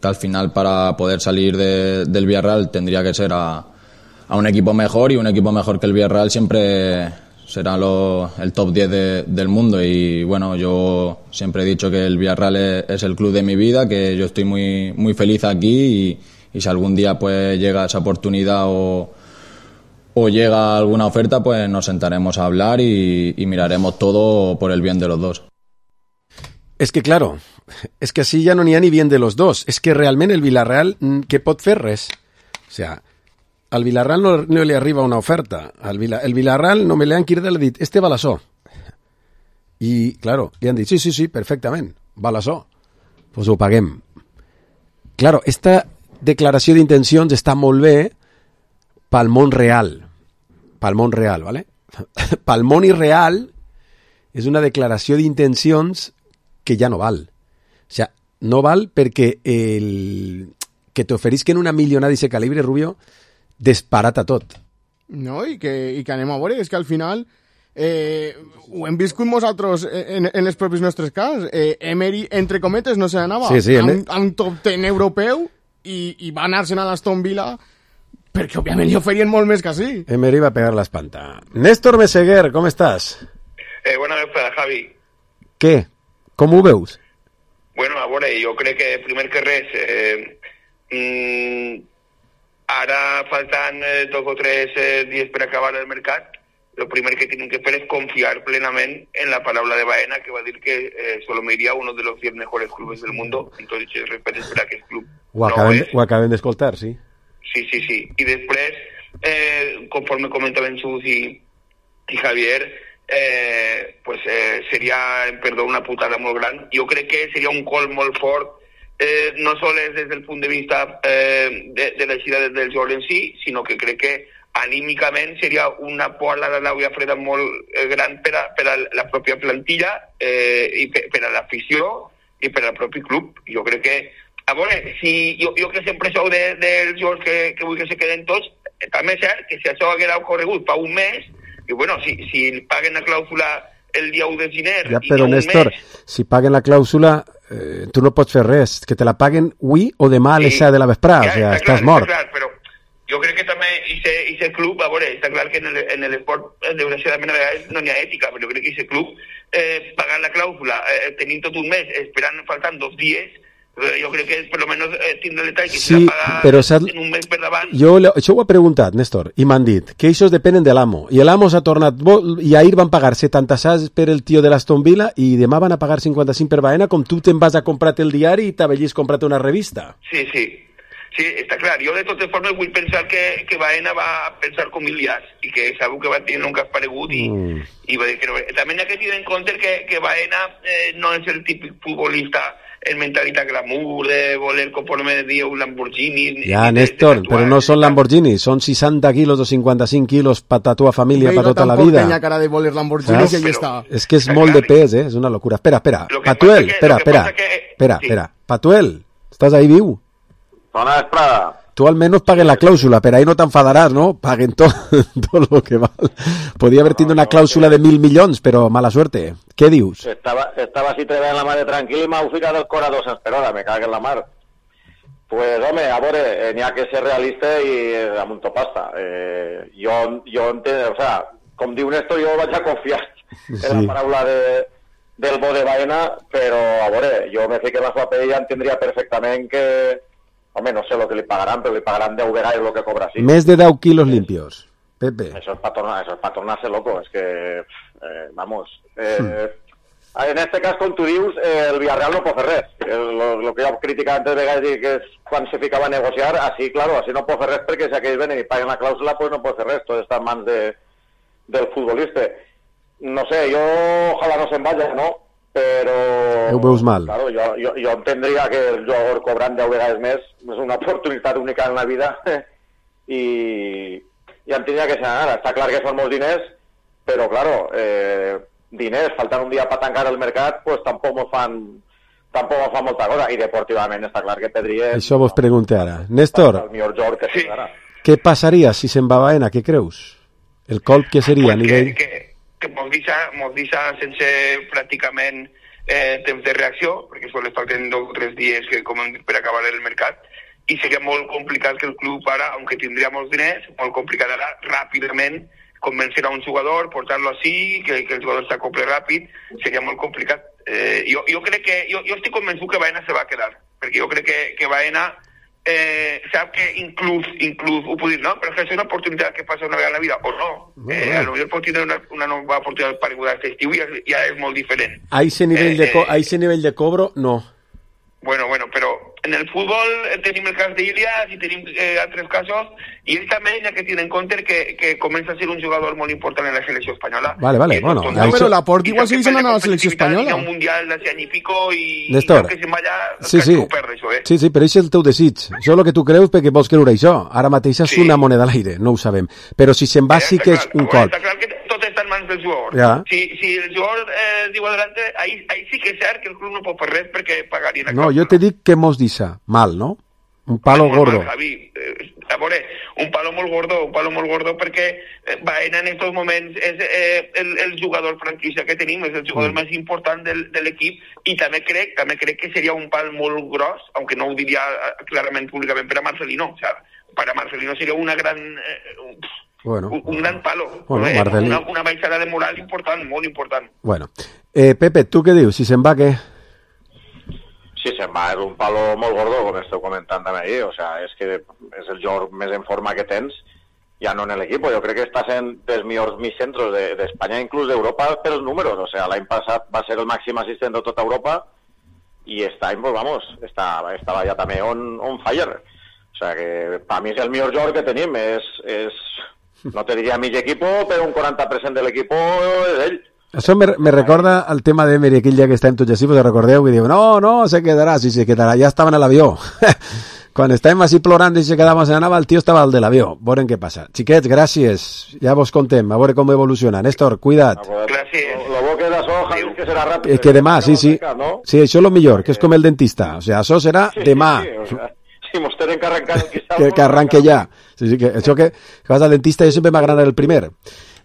al final para poder salir del Villarreal tendría que ser a un equipo mejor, y un equipo mejor que el Villarreal siempre será el top 10 del mundo. Y bueno, yo siempre he dicho que el Villarreal es el club de mi vida, que yo estoy muy, muy feliz aquí, y si algún día pues llega esa oportunidad o llega alguna oferta, pues nos sentaremos a hablar y miraremos todo por el bien de los dos. És que, claro, és que així ja no n'hi ha ni bien de los dos. És que realment el Villarreal, què pot fer? Res. O sea, al Villarreal no li arriba una oferta. El Villarreal no me l'han cridat, l'ha dit, este val això. I, claro, li han dit, sí, perfectament, val això. Pues ho paguem. Claro, esta declaració d'intencions està molt bé pel món real. Pel món real, ¿vale? Pel món irreal és una declaració d'intencions que ja no val. O sea, no val perquè que t'oferisquen una milionada d'aquest calibre, Rubio, desparata tot. No, i que anem a veure, és que al final ho hem viscut nosaltres en els propis nostres cas. Emery, entre cometes, no se n'anava amb top 10 europeu i va anar-se'n a l'Aston Villa perquè, òbviament, li oferien molt més que sí. Emery va pegar l'espanta. Néstor Meseguer, com estàs? Bona vesprada, Javi. Què? Com ho veus? Bueno, a veure, jo crec que, primer que res, ara faltant 2 o 3 dies per acabar el mercat, lo primer que tienen que fer es confiar plenamente en la palabra de Baena, que va a decir que solo me iría a uno de los 10 mejores clubes del mundo. Entonces, respeto para que el club ho acabem d'escoltar, sí. Sí. Y después, conforme comentaban Sus y Javier, pues sería, perdón, una putada muy grande. Yo creo que sería un call molt fort, no solo desde el punto de vista de la eixida del jugador en sí, sino que creo que anímicament seria una pola de l'aigua freda molt gran per a la pròpia plantilla i per a l'afició i per al propi club. Jo crec que, a veure, si jo que sempre sou dels jugadors que vull que se queden tots, també és cert que si això haguera ocorregut fa un mes, i bueno, si paguen la clàusula el dia 1 de gener ja, però, Néstor, si paguen la clàusula tu no pots fer res, que te la paguen avui o demà a les 7 de la vesprada, o sigui, estàs mort. Clar, però jo crec que també aquest club, a veure, està clar que en l'esport, desgraciadament, a vegades no n'hi ha ètica, però jo crec que aquest club, pagant la clàusula, tenint tot un mes, esperant, faltant 2 dies, jo crec que per almenys tindre el detall que sí, s'ha pagat en un mes per davant. Això ho he preguntat, Néstor, i m'han dit que això depenen de l'amo, i l'amo s'ha tornat, i ahir van pagar 76 per el tio de l'Aston Villa, i demà van a pagar 55 per Baena, com tu te'n vas a comprar el diari i t'avellis comprat una revista. Sí, està clar. Jo de totes formes vull pensar que Baena va pensar com Ilias i que sabeu que va tenir un cas paregut i va dir que no. També hi ha que tenir en compte que Baena no és el típic futbolista en mentalitat glamour, de voler conforme diu un Lamborghini. Ja, Néstor, però no són Lamborghini, són 60 quilos o 55 quilos per ta tua família, per tota la vida. Tampoc tenia cara de voler Lamborghini i allà està. És que és molt de pes, és una locura. Espera. Patuel, espera. Patuel, estàs ahí viu? Bona vesprada. Tu almenys paguen la clàusula, però ahí no t'enfadaràs, ¿no? Paguen tot lo que val. Podria haver tingut una clàusula de 1.000 milions, però mala suerte. Què dius? Estava así treballant la mare tranquil i m'heu ficat el cor a 200 per hora, me cague en la mar. Pues, home, a veure, n'hi ha que ser realista i amb un topasta. Jo entenc, o sea, com diu Néstor, jo vaig a confiar en la paraula del bo de Baena, però, a veure, jo me fique en la seva pell i entendria perfectament que... Home, no sé el que li pagaran, però li pagaran 10 vegades el que cobra, sí. Més de 10 quilos limpios, Pepe. Eso es para tornarse loco, es que, vamos. En este cas, com tu dius, el Villarreal no pot fer res. Lo que ja he criticat antes de vegades que és quan se ficava a negociar, així, claro, així no pot fer res perquè si aquells venen i paguen la clàusula, pues no pot fer res, tot està en mans del futbolista. No sé, jo ojalà no se'n vaya, no? Però... Ho veus mal. Claro, jo entendria que el jugador cobrant 10 vegades més és una oportunitat única en la vida i entendria que s'anara. Està clar que són molts diners, però, claro, diners, faltant un dia per tancar el mercat, pues tampoc me fan molta cosa. I deportivament està clar que perdria... Això vos pregunte ara. Néstor, el millor jugador que sí. Què passaria si se'n va Baena? Què creus? El colp que seria a nivell... Que mos deixa sense pràcticament temps de reacció, perquè sols falten 2 o 3 dies que com hem dit per acabar el mercat, i seria molt complicat que el club ara, aunque tindria molts diners, molt complicat ara ràpidament convencer a un jugador, portar-lo així, que el jugador s'acople ràpid, seria molt complicat. Jo crec que, jo estic convençut que Baena se va quedar, perquè jo crec que Baena sap que inclús ho puc dir, no? Però que és una oportunitat que passa una vegada en la vida, o no. A lo millor pot tindre una nova oportunitat pareguda aquest estiu i ja és molt diferent. A ese nivell de cobro, no. Bueno, però en el futbol tenim el cas d'Ilias i tenim altres casos, i ell també ha que tenir en compte que comença a ser un jugador molt important en la selecció espanyola. Vale, bueno. Però Laporte igual segueix anant a la selecció espanyola. Hi ha un mundial d'hace any i pico i Néstor, que se'n vaya, sí, ho perd, això, Sí, però això és el teu desig. Això és el que tu creus perquè vols creure això. Ara mateix és una moneda a l'aire, no ho sabem. Però si se'n va sí que és un cop. Està clar que tot està en mans del jugador. Ja. Si el jugador diu adelante, ahí sí que és cert que el club no pot fer res perquè pagarien. No, jo te dic que mos deixa mal, no? Un palo gordo. Mal, Javi. A veure, un palo molt gordo perquè Baena en estos moments és el jugador franquicia que tenim, és el jugador més important de l'equip, i també crec que seria un pal molt gros, aunque no ho diria clarament públicament per a Marcelino. O sea, para Marcelino seria una gran... un gran palo. Una baixada de moral important, molt important. Bueno. Pepe, tu què dius? Si se'n va, què? Sí, se'n va, és un palo molt gordo, com esteu comentant també ahir, o sea, és que és el jugador més en forma que tens, ja no en l'equip, jo crec que està sent dels millors mitjans d'Espanya, inclús d'Europa, per els números, o sea, l'any passat va ser el màxim assistent de tota Europa, i este any, pues vamos, estava ja també on fire, o sea, que per mi és el millor jugador que tenim, no te diria mig equip, però un 40% de l'equip és ell. Això me recorda el tema d'Emery, aquell dia que estàvem tots així, pues recordeu que diu, no, se quedarà, sí, se quedarà, ja estaven a l'avió. Quan estàvem així plorant i se quedàvem a l'avió, el tio estava al de l'avió. Veurem què passa. Xiquets, gràcies, ja vos contem, a veure com evoluciona. Néstor, cuida't. Gràcies. Lo bo que d'això, Javi, que serà ràpid. Que demà, sí. Sí, això és el millor, que és com el dentista. O sigui, això serà demà. Si mos tenen que arrencar... Que arranque ja. Sí, que això que vas al dentista jo sempre m'agrada el primer.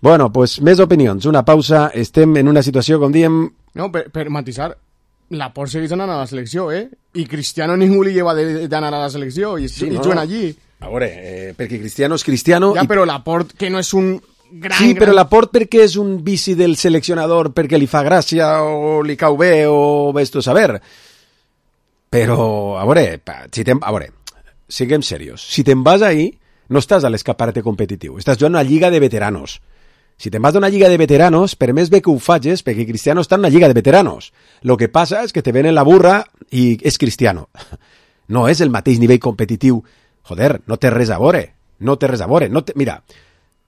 Bueno, pues més opinions. Una pausa. Estem en una situació, com diem... No, per matisar, Laporte segueix anant a la selecció, I Cristiano ningú li lleva d'anar a la selecció, i juguen allí. A veure, perquè Cristiano és Cristiano... Ja, però Laporte, que no és un gran... Sí, però Laporte perquè és un vici del seleccionador, perquè li fa gràcia, o li cau bé, o ves tu a saber. Però, a veure, siguem serios. Si te'n vas ahí, no estàs a l'escaparate competitiu, estàs jugant a una lliga de veteranos. Si te'n vas d'una lliga de veteranos, per més bé que ho facis, perquè Cristiano està en una lliga de veteranos. Lo que passa és que te venen la burra i és Cristiano. No és el mateix nivell competitiu. Joder, no té res a veure. Mira,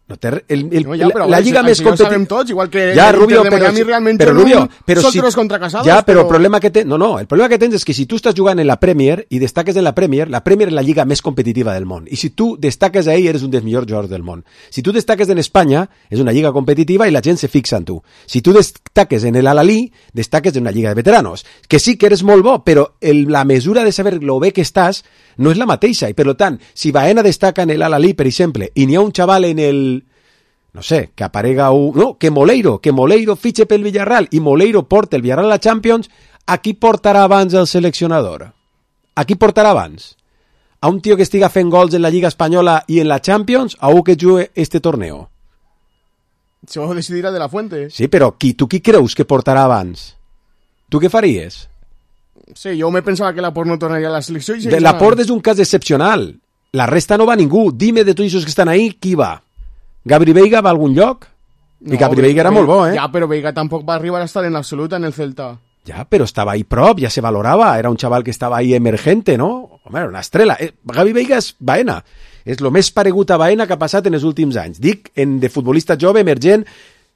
la lliga més competitiva... Ja sabem tots, igual que Rubio, de Miami realment solteros contra casados. Ja, però el problema que tens... No, el problema que tens és que si tu estàs jugant en la Premier i destaques en la Premier és la lliga més competitiva del món. I si tu destaques ahí, eres un dels millors jugadors del món. Si tu destaques en Espanya, és una lliga competitiva i la gent se fixa en tu. Si tu destaques en el Al-Ahly, destaques en una lliga de veteranos. Que sí que eres molt bo, però la mesura de saber lo bé que estàs no és la mateixa. I per tant, si Baena destaca en el Al-Ahly, per exemple, i n'hi ha un xaval en el... No sé, que aparega que Moleiro fitxe pel Villarreal i Moleiro porta el Villarreal a la Champions, a qui portarà abans el seleccionador? A qui portarà abans? A un tio que estiga fent gols en la Lliga Espanyola i en la Champions, a un que jugue este torneo? Això ho decidirà de la Fuente. Sí, però tu qui creus que portarà abans? Tu què faries? Sí, jo me pensava que Laporte no tornaria a la selecció. Laporte és un cas excepcional. La resta no va ningú. Dime de tots els que estan ahí, qui va? Gabri Veiga va a algun lloc? I Gabri Veiga era molt bo, Ja, però Veiga tampoc va arribar a estar en absoluta en el Celta. Ja, però estava ahí prop, ja se valorava. Era un xaval que estava ahí emergente, no? Home, era una estrela. Gavi Veiga és Baena. És el més paregut a Baena que ha passat en els últims anys. Dic, de futbolista jove, emergent.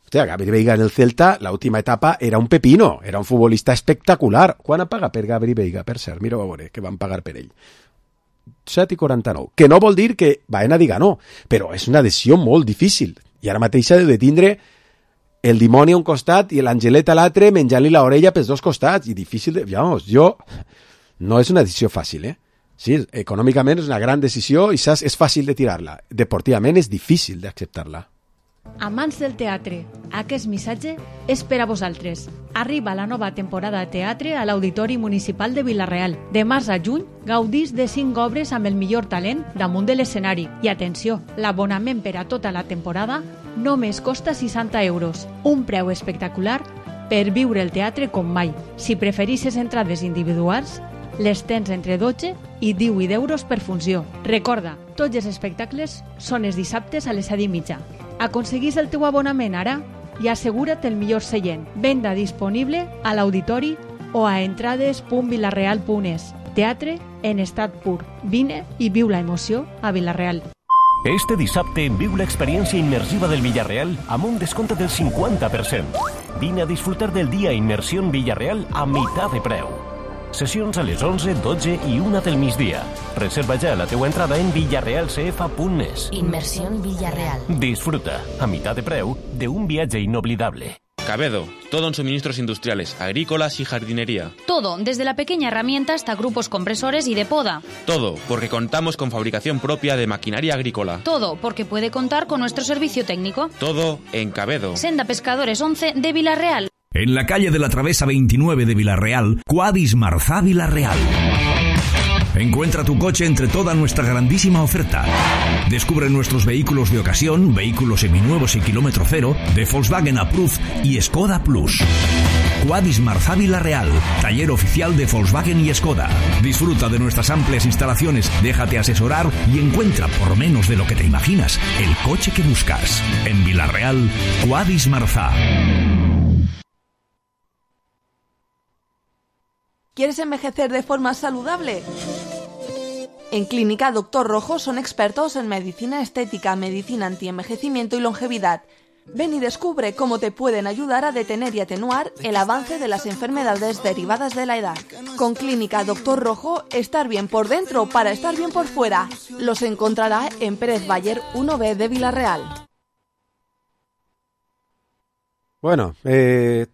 Hòstia, Gabri Veiga en el Celta, l'última etapa, era un pepino. Era un futbolista espectacular. Quan ha pagat per Gabri Veiga, per cert? Mira, a veure, que van pagar per ell. 7,49, que no vol dir que Baena diga no, però és una decisió molt difícil, i ara mateix s'ha de tindre el dimoni a un costat i l'angelet a l'altre menjant-li l'orella pels dos costats, i difícil de... no és una decisió fàcil, Sí, econòmicament és una gran decisió i saps, és fàcil de tirar-la, deportivament és difícil d'acceptar-la. Amants del teatre, aquest missatge és per a vosaltres. Arriba la nova temporada de teatre a l'Auditori Municipal de Vila-real. De març a juny, gaudís de 5 obres amb el millor talent damunt de l'escenari. I atenció, l'abonament per a tota la temporada només costa 60 euros. Un preu espectacular per viure el teatre com mai. Si preferisses entrades individuals, les tens entre 12 i 18 euros per funció. Recorda, tots els espectacles són els dissabtes a les 7:30. Aconseguís el teu abonament ara i assegura't el millor seient. Venda disponible a l'auditori o a entrades.vilareal.es. Teatre en estat pur. Vine i viu la emoció a Vila-real. Este dissabte viu l'experiència immersiva del Villarreal amb un descompte del 50%. Vine a disfrutar del dia Immersió Villarreal a meitat de preu. Sessions a les 11, 12 i 1 del migdia. Reserva ja la teua entrada en villarrealcf.es. Inmersión Villarreal. Disfruta, a mitad de preu, de un viaje inolvidable. Cabedo, todo en suministros industriales, agrícolas y jardinería. Todo, desde la pequeña herramienta hasta grupos compresores y de poda. Todo, porque contamos con fabricación propia de maquinaria agrícola. Todo, porque puede contar con nuestro servicio técnico. Todo en Cabedo. Senda Pescadores 11 de Vila-real. En la calle de la Travesa 29 de Vila-real, Quadis Marzá Vila-real. Encuentra tu coche entre toda nuestra grandísima oferta. Descubre nuestros vehículos de ocasión, vehículos seminuevos y kilómetro cero, de Volkswagen Approved y Skoda Plus. Quadis Marzá Vila-real, taller oficial de Volkswagen y Skoda. Disfruta de nuestras amplias instalaciones, déjate asesorar y encuentra por menos de lo que te imaginas el coche que buscas. En Vila-real, Quadis Marzá. ¿Quieres envejecer de forma saludable? En Clínica Dr. Rojo son expertos en medicina estética, medicina antienvejecimiento y longevidad. Ven y descubre cómo te pueden ayudar a detener y atenuar el avance de las enfermedades derivadas de la edad. Con Clínica Dr. Rojo, estar bien por dentro para estar bien por fuera. Los encontrará en Pérez Bayer 1B de Vila-real. Bueno,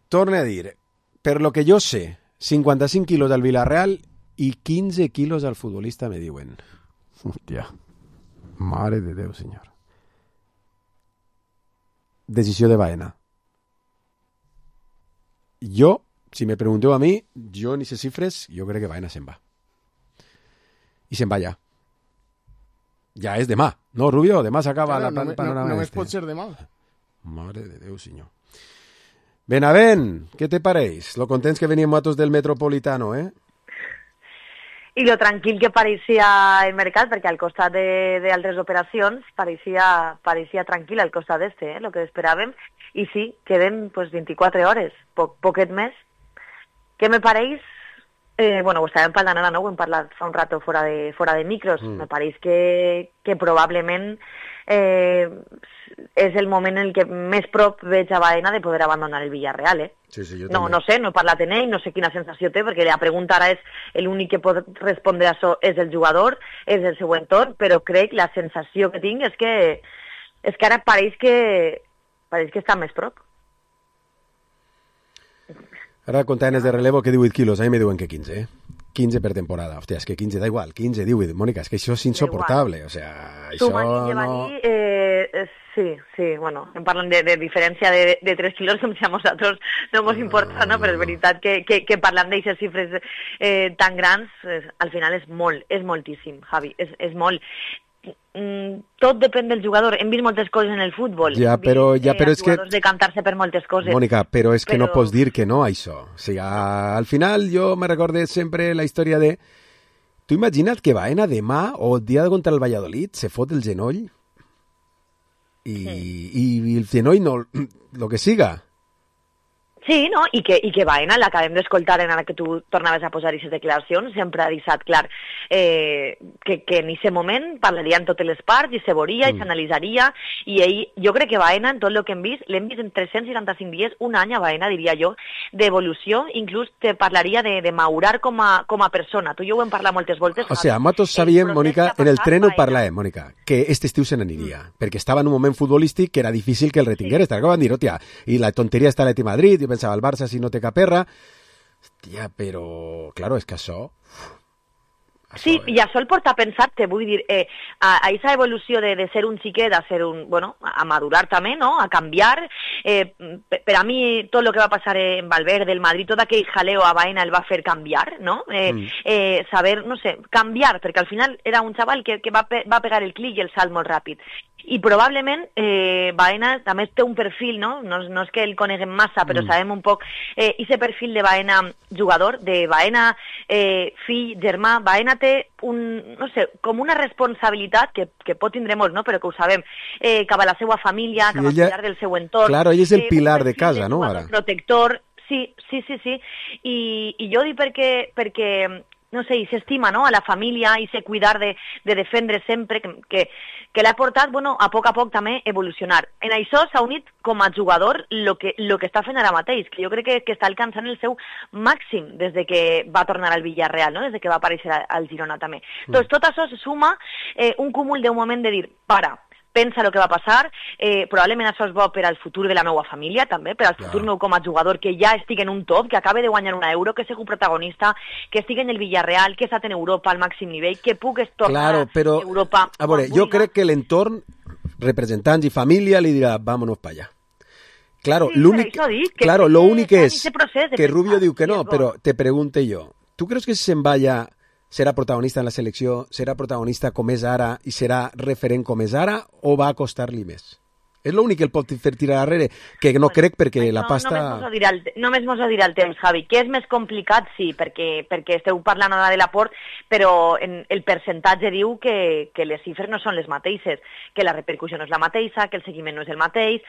torne a dir, per lo que jo sé, 55 quilos al Vila-real i 15 quilos al futbolista, me diuen. Hòstia, mare de Déu, senyor. Decisió de Baena. Jo, si me pregunteu a mi, jo en aquestes xifres, jo crec que Baena se'n va. I se'n va ja. Ja és demà, no, Rubio? Demà s'acaba la panorama. Només pot ser demà. Mare de Déu, senyor. Benavent, què te pareix? Lo contents que veníem nosaltres del Metropolitano, eh? I lo tranquil que pareixia el mercat, perquè al costat d'altres operacions pareixia tranquil al costat d'este, lo que esperàvem. I sí, queden pues, 24 hores, poquet més. Què me pareix? Bueno, ho estàvem parlant ara, no? Ho hem parlat fa un rato fora de micros. Me pareix que probablement és el moment en el que més prop veig a Baena de poder abandonar el Villarreal, eh? Sí, jo no, no sé, no he parlat amb ell, no sé quina sensació té, perquè la pregunta ara és l'únic que pot respondre a això és el jugador, és el seu entorn, però crec la sensació que tinc és que ara pareix que està més prop. Ara comptant de relevo que 18 quilos, a mi me diuen que 15, eh? 15 per temporada. Hòstia, és que 15 da igual, 15, 18. Mónica, és que això és insoportable. O sea, això no... Sí, bueno, em parlen de diferència de 3 quilos, com si a nosaltres no ens importa, no? Però és veritat que parlant d'aquestes xifres tan grans, al final és moltíssim, Javi, és molt. Tot depèn del jugador. Hem vist moltes coses en el futbol. Ja, però és que... jugadors decantar-se per moltes coses. Mónica, però és que no pots dir que no a això. O sigui, al final jo me recordé sempre la història de... Tu imagina't que Baena demà o el dia contra el Valladolid se fot el genoll i el genoll no... lo que siga. Sí, no? I que Baena, l'acabem d'escoltar en ara que tu tornaves a posar aquestes declaracions, sempre ha deixat clar que en aquest moment parlarien totes les parts i se veuria i s'analitzaria, i ell, jo crec que Baena, en tot el que hem vist, l'hem vist en 365 dies, un any a Baena, diria jo, d'evolució, inclús te parlaria de madurar com a persona. Tu i jo ho hem parlat moltes voltes. O sigui, nosaltres sabíem, Mónica, en el tren ho parlàvem, Mónica, que este estiu se n'aniria, perquè estava en un moment futbolístic que era difícil que el retingués. Estava acabant de dir, hòstia, i la tonteria està a l'Atlètic Madrid, i pensava, el Barça si no té cap erra. Hòstia, però, claro, és que això... Sí, i això el porta a pensar-te, vull dir, a aquesta evolució de ser un xiquet a ser un, bueno, a madurar també, no?, a canviar. Per a mi, tot el que va passar en Valverde, el Madrid, tot aquell jaleo a Baena el va fer canviar, no? Saber, no sé, canviar, perquè al final era un xaval que va pegar el clic i el salt molt ràpid. I probablement Baena també té un perfil, no? No és que el coneguem massa, però sabem un poc aquest perfil de Baena jugador, de Baena fill, germà. Baena té no sé, com una responsabilitat que pot tindre molts, no? Però que ho sabem, cap a la seva família, cap al pilar del seu entorn. Claro, ell és el pilar de casa, no? Ara. Protector, sí. I jo dic perquè no sé, i s'estima, no?, a la família i se cuidar de defendre sempre, que l'ha portat, bueno, a poc també evolucionar. En això s'ha unit com a jugador lo que està fent ara mateix, que jo crec que està alcançant el seu màxim des de que va tornar al Villarreal, no?, des de que va aparèixer al Girona també. Doncs tot això se suma un cúmul d'un moment de dir, para, pensa el que va passar, probablement això és bo per al futur de la meva família també, per al futur meu com a jugador, que ja estic en un top, que acabe de guanyar una Euro, que sigui protagonista, que estigui en el Villarreal, que està en Europa al màxim nivell, que puc tornar a Europa. A veure, jo crec que l'entorn, representants i família, li dirà, vámonos para allá. Claro, sí, lo único es que Rubio diu que no, pero te pregunte yo, ¿tú crees que si se'n va allà serà protagonista en la selecció, serà protagonista com és ara i serà referent com és ara, o va a costar-li més? És l'únic que el pot fer tirar darrere, que no crec perquè la pasta... Només mos ho dirà el temps, Javi, que és més complicat, sí, perquè esteu parlant ara de l'aport, però el percentatge diu que les xifres no són les mateixes, que la repercussió no és la mateixa, que el seguiment no és el mateix,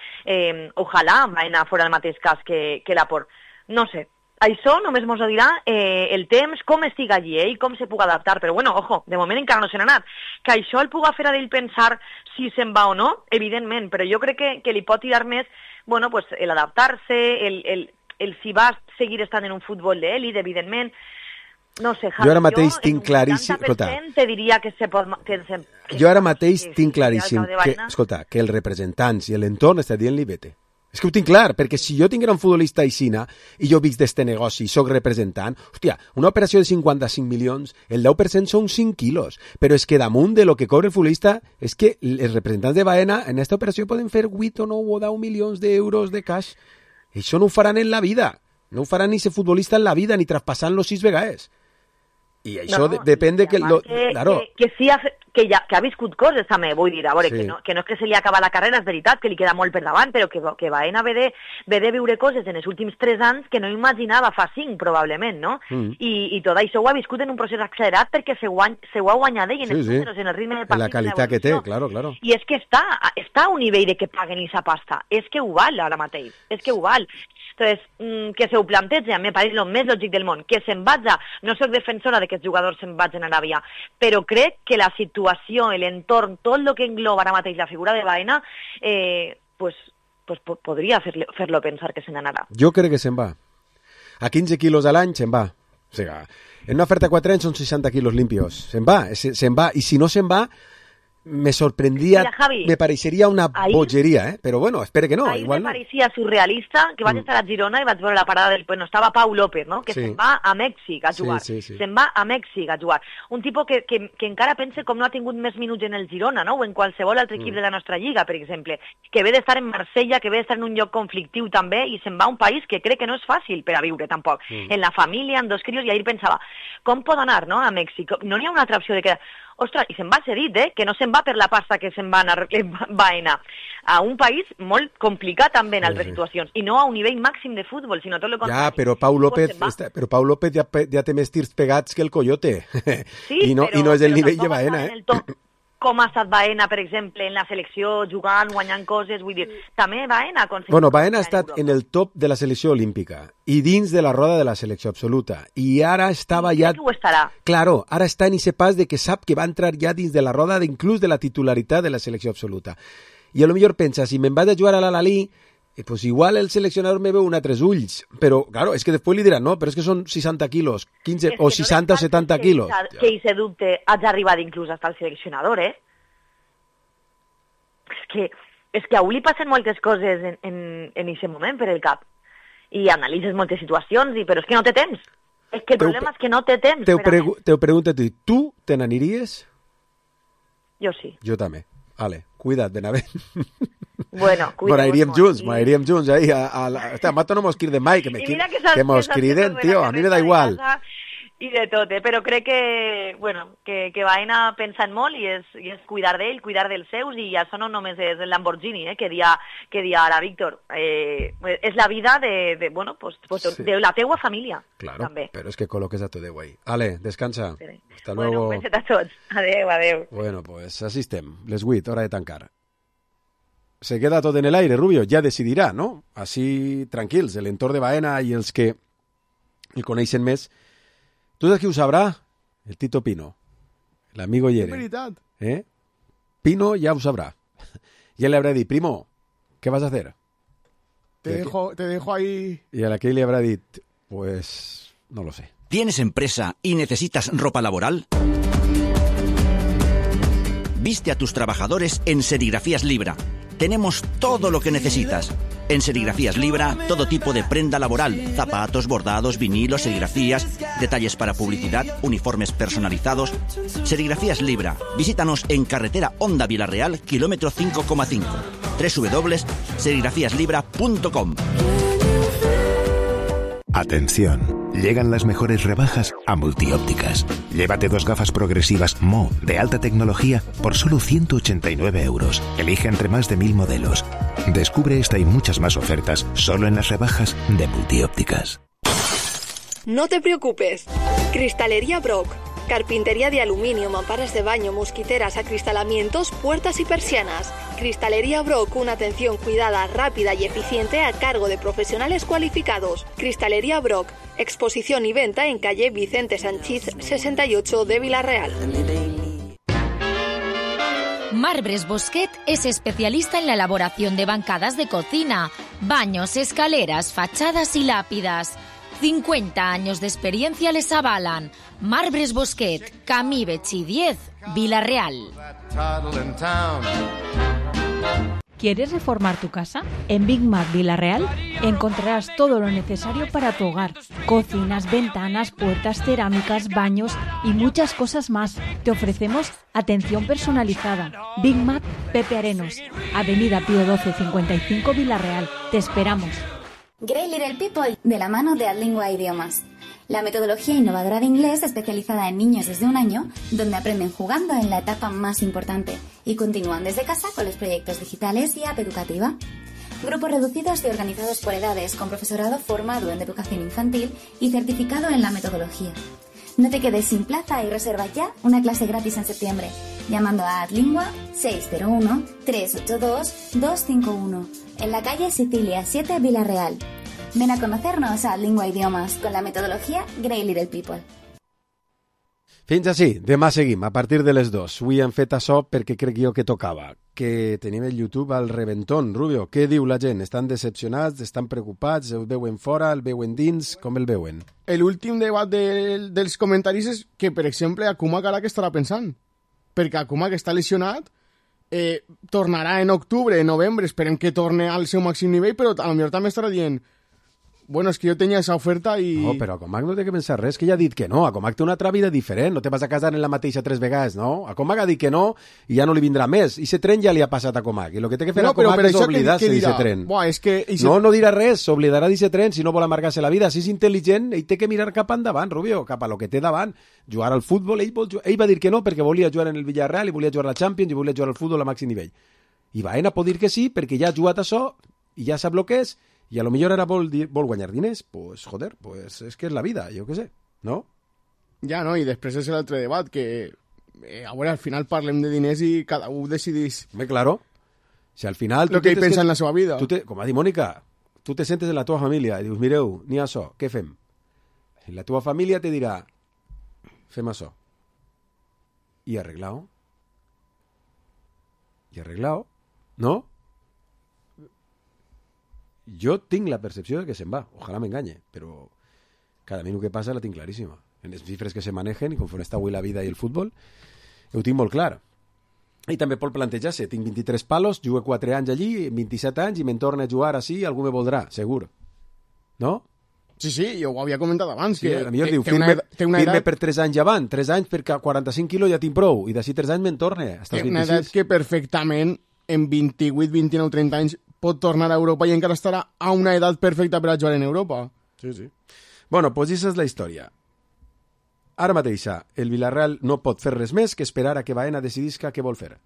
ojalà Baena fora el mateix cas que l'aport. No sé. Això només mos ho dirà el temps, com estic allí i com se puga adaptar. Però bueno, ojo, de moment encara no se n'ha anat. Que això el puga fer a ell pensar si se'n va o no, evidentment, però jo crec que li pot tirar més, bueno, pues, l'adaptar-se, el si va seguir estant en un futbol d'èlit, evidentment. No sé, Javi, jo ara mateix tinc claríssim... te diria que se pot... Jo ara mateix tinc claríssim que els representants i l'entorn està dient-li vete. És que ho tinc clar, perquè si jo tinguera un futbolista aixina i jo visc d'este negoci i soc representant, hòstia, una operació de 55 milions, el 10% són 5 quilos, però és que damunt de lo que cobra el futbolista és que els representants de Baena en aquesta operació poden fer 8 o 9 o 10 milions d'euros de cash. Això no ho faran en la vida, no ho faran ni ser futbolista en la vida, ni traspassant-lo 6 vegades. I això depèn de que... Que ha viscut coses també, vull dir, a veure, sí. que no és que se li acaba la carrera, és veritat que li queda molt per davant, però que Baena ve de viure coses en els últims 3 anys que no imaginava fa 5, probablement, no? I tot això ho ha viscut en un procés accelerat perquè se ho ha guanyat ell en els números, en el ritme del partit. En la qualitat que té, claro. I és que està a un nivell de que paguen aquesta pasta. És que ho val ara mateix, és que ho val. Entonces, que se ho planteja, me pareix el més lògic del món, que se'n vaja, no soc defensora de que els jugadors se'n vagin a Aràbia, però crec que la situació, l'entorn, tot el que engloba ara mateix la figura de Baena, pues podria fer-lo pensar que se n'anarà. Jo crec que se'n va. A 15 quilos a l'any se'n va. O sigui, en una oferta 4 anys són 60 quilos limpios. Se'n va. I si no se'n va, me sorprendria, mira, Javi, me pareixeria una bogeria, però bueno, espero que no. Ahir igual me pareixia surrealista que vaig estar a Girona i vaig veure la parada del... Bueno, estava Pau López, no?, que se'n va a Mèxic a jugar. Sí. Se'n va a Mèxic a jugar. Un tipus que encara pensa com no ha tingut més minuts en el Girona, no?, o en qualsevol altre equip de la nostra lliga, per exemple, que ve d'estar en Marsella, que ve d'estar en un lloc conflictiu també, i se'n va a un país que crec que no és fàcil per a viure, tampoc. En la família, amb 2 crios, i ahir pensava, com pot anar, no?, a Mèxic? No n'hi ha una altra opció de que... Ostres, i se'n va cedit, que no se'n va per la pasta que se'n va anar a un país molt complicat també en altres situacions, i no a un nivell màxim de futbol, sinó tot el contrari. Ja, però Pau López ja té més tirs pegats que el Coyote, sí, i no és el nivell de Baena, Com ha estat Baena, per exemple, en la selecció, jugant, guanyant coses, vull dir, també Baena... Bueno, Baena ha estat en el top de la selecció olímpica i dins de la roda de la selecció absoluta. I ara estava ja... Crec que ho estarà. Claro, ara està en ese pas de que sap que va entrar ja dins de la roda inclús de la titularitat de la selecció absoluta. I a lo millor pensa, si me'n vaig a jugar a l'Al-Ahly, pues igual el seleccionador me veu un altres ulls. Però, claro, és que després li diran, no, però és que són 60 quilos, 15 o 60 o 70 quilos. Que hi se dubte, has arribat inclús hasta el seleccionador, És que a li passen moltes coses en aquest moment per el cap. I analitzes moltes situacions, però és que no té temps. És que el problema és que no té temps. Te pregunto a tu te n'aniries? Jo sí. Jo també. Vale, cuida't, Benavent. Bueno, aniríem junts ahí hasta mato no mos criden mai, que mos criden, tío, a mi me da igual. I de tot, però crec que Baena pensa en molt i és cuidar d'ell, cuidar dels seus, i això no només és el Lamborghini, que dia ara Víctor. És la vida de la teua família. Claro, també. Però és que col·loques a tot de guai. Ale, descansa. Hasta luego. Bueno, un beset a tots. Adeu. Bueno, pues así estem. Les 8, hora de tancar. Se queda tot en el aire, Rubio, ja decidirà, no? Així, tranquils, l'entorn de Baena i els que el coneixen més. Tu saps qui ho sabrà? el Tito Pino, el amigo Yere. És veritat. Pino ya lo sabrá. Ya le habrá dicho, primo, ¿qué vas a hacer? Te dejo ahí. Y a la que le habrá dicho, pues no lo sé. ¿Tienes empresa y necesitas ropa laboral? Viste a tus trabajadores en Serigrafías Libra. Tenemos todo lo que necesitas. En Serigrafías Libra, todo tipo de prenda laboral, zapatos, bordados, vinilos, serigrafías, detalles para publicidad, uniformes personalizados. Serigrafías Libra. Visítanos en carretera Honda Vilarreal, kilómetro 5,5. www.serigrafiaslibra.com. Atención, llegan las mejores rebajas a Multiópticas. Llévate 2 gafas progresivas Mo de alta tecnología por solo 189 euros. Elige entre más de 1000 modelos. Descubre esta y muchas más ofertas solo en las rebajas de Multiópticas. No te preocupes. Cristalería Brock. Carpintería de aluminio, mamparas de baño, mosquiteras, acristalamientos, puertas y persianas. Cristalería Brock, una atención cuidada, rápida y eficiente a cargo de profesionales cualificados. Cristalería Brock, exposición y venta en calle Vicente Sanchís 68 de Vilarreal. Marbres Bosquet es especialista en la elaboración de bancadas de cocina, baños, escaleras, fachadas y lápidas. 50 años de experiencia les avalan. Marbres Bosquet, Camí Betxí 10, Vilarreal. ¿Quieres reformar tu casa? En Big Mac Vilarreal encontrarás todo lo necesario para tu hogar. Cocinas, ventanas, puertas, cerámicas, baños y muchas cosas más. Te ofrecemos atención personalizada. Big Mac Pepe Arenos, Avenida Pío 12 55 Vilarreal. Te esperamos. Great Little People, de la mano de Adlingua Idiomas. La metodología innovadora de inglés especializada en niños desde 1 año, donde aprenden jugando en la etapa más importante y continúan desde casa con los proyectos digitales y app educativa. Grupos reducidos y organizados por edades, con profesorado formado en educación infantil y certificado en la metodología. No te quedes sin plaza y reserva ya una clase gratis en septiembre, llamando a Adlingua 601-382-251, en la calle Sicilia 7 Vilarreal. Ven a conocernos a Adlingua Idiomas con la metodología Great Little People. Fins així, demà seguim, a partir de les 2. Avui hem fet això perquè crec jo que tocava. Que tenim el YouTube al reventón. Rubio, què diu la gent? Estan decepcionats? Estan preocupats? El veuen fora? El veuen dins? Com el veuen? L'últim debat dels comentaris és que, per exemple, Akumak ara què estarà pensant? Perquè Akumak està lesionat, tornarà en octubre, en novembre, esperem que torne al seu màxim nivell, però potser també estarà dient bueno, és que jo tenia esa oferta i... No, però Akumak no té que pensar res, que ja ha dit que no. Akumak té una altra vida diferent, no te vas a casar en la mateixa 3 vegades, no? Akumak ha dit que no i ja no li vindrà més. I ese tren ja li ha passat a Akumak. I el que té que fer Akumak és oblidar-se d'aquest tren. Buah, és que... No dirà res, s'oblidarà d'aquest tren si no vol amargar-se la vida. Si és intel·ligent, ell té que mirar cap endavant, Rubio, cap a lo que té davant. Jugar al futbol, ell va dir que no perquè volia jugar en el Villarreal i volia jugar a la Champions i volia jugar al futbol a màxim nivell. I Baena pot dir que sí perquè ja ha jugat això i ja sap el que és. I a lo millor ara vol guanyar diners, pues joder, pues és que és la vida, jo què sé, no? Ja, no, i després és l'altre debat, que a veure, al final parlem de diners i cada un decidís... Home, claro, si al final... Lo que ell pensa en la seva vida. Com ha dit Mònica, tu te sentes en la teva família i dius, mireu, n'hi ha això, què fem? I la teva família te dirà, fem això. I arreglao. No? Jo tinc la percepció de que se'n va, ojalà m'enganye, però cada minut que passa la tinc claríssima. En les xifres que se manegen i conforme està avui la vida i el futbol, ho tinc molt clar. I també pot plantejar-se, tinc 23 palos, jugo 4 anys allí, 27 anys, i me'n torno a jugar així, algú me voldrà, segur. No? Sí, jo ho havia comentat abans. Sí, que a millor diu, firme per 3 anys avant, 3 anys perquè 45 quilos ja tinc prou, i d'ací 3 anys me'n torne, hasta els 26. Una edat que perfectament en 28, 29, 30 anys pot tornar a Europa i encara estarà a una edat perfecta per a jugar en Europa. Sí. Bueno, pues això és la història. Ara mateixa, el Villarreal no pot fer res més que esperar a que Baena decidisca què vol fer.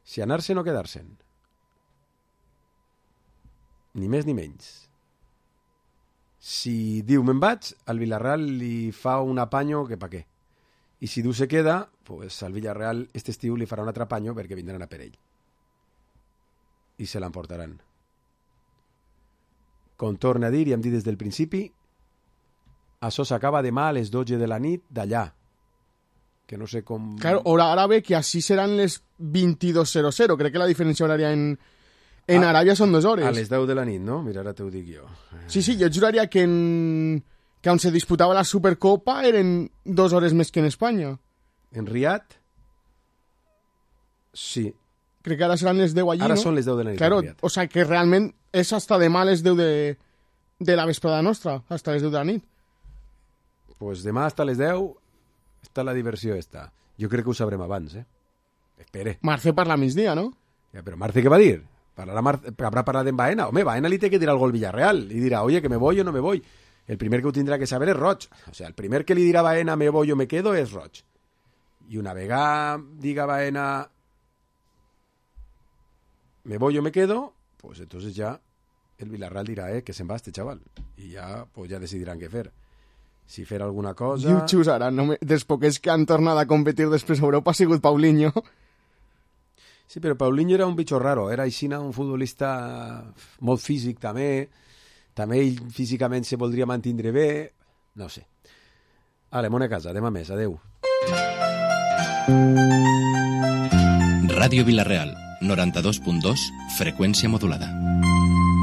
Si anar-se'n o quedar-se'n. Ni més ni menys. Si diu me'n vaig, al Villarreal li fa un apanyo que pa què. I si diu se queda, pues al Villarreal este estiu li farà un altre apanyo perquè vindran a per ell. I se l'emportaran. Com torna a dir, i hem dit des del principi, això s'acaba demà a les 12 de la nit d'allà, que no sé com... Claro, hora árabe, que així seran les 22:00. Crec que la diferència horària en Aràbia són 2 hores. A les 10 de la nit, no? Mira, ara t'ho dic jo. Sí, jo juraria que on se disputava la Supercopa eren 2 hores més que en Espanya. En Riad? Sí. Crec que ara seran les 10 allí, ara no? Són les 10 de la nit. Claro, o sea, que realment és hasta demà les 10 de la vesprada nostra, hasta les 10 de la nit. Pues demà hasta les 10 està la diversió esta. Jo crec que ho sabrem abans, Espere. Marce parla a migdia, no? Ja, però Marce què va dir? Habrá parlat en Baena. Home, Baena li té que dir algo al Villarreal. I dirà, oye, que me voy o no me voy. El primer que ho tindrà que saber és Roig. O sea, el primer que li dirà a Baena me voy o me quedo és Roig. I una vegada diga Baena me voy o me quedo, pues entonces ya el Villarreal dirà, que se'n va este chaval. I ja, pues ja decidiran què fer. Si fer alguna cosa... I ho xusaran. Dels poquets que han tornat a competir després a Europa ha sigut Paulinho. Sí, però Paulinho era un bitxo raro. Era així un futbolista molt físic, també. També ell físicament se voldria mantindre bé. No sé. Ale, mona casa. Demà més. Adeu. Ràdio Vilareal, 92.2, freqüència modulada.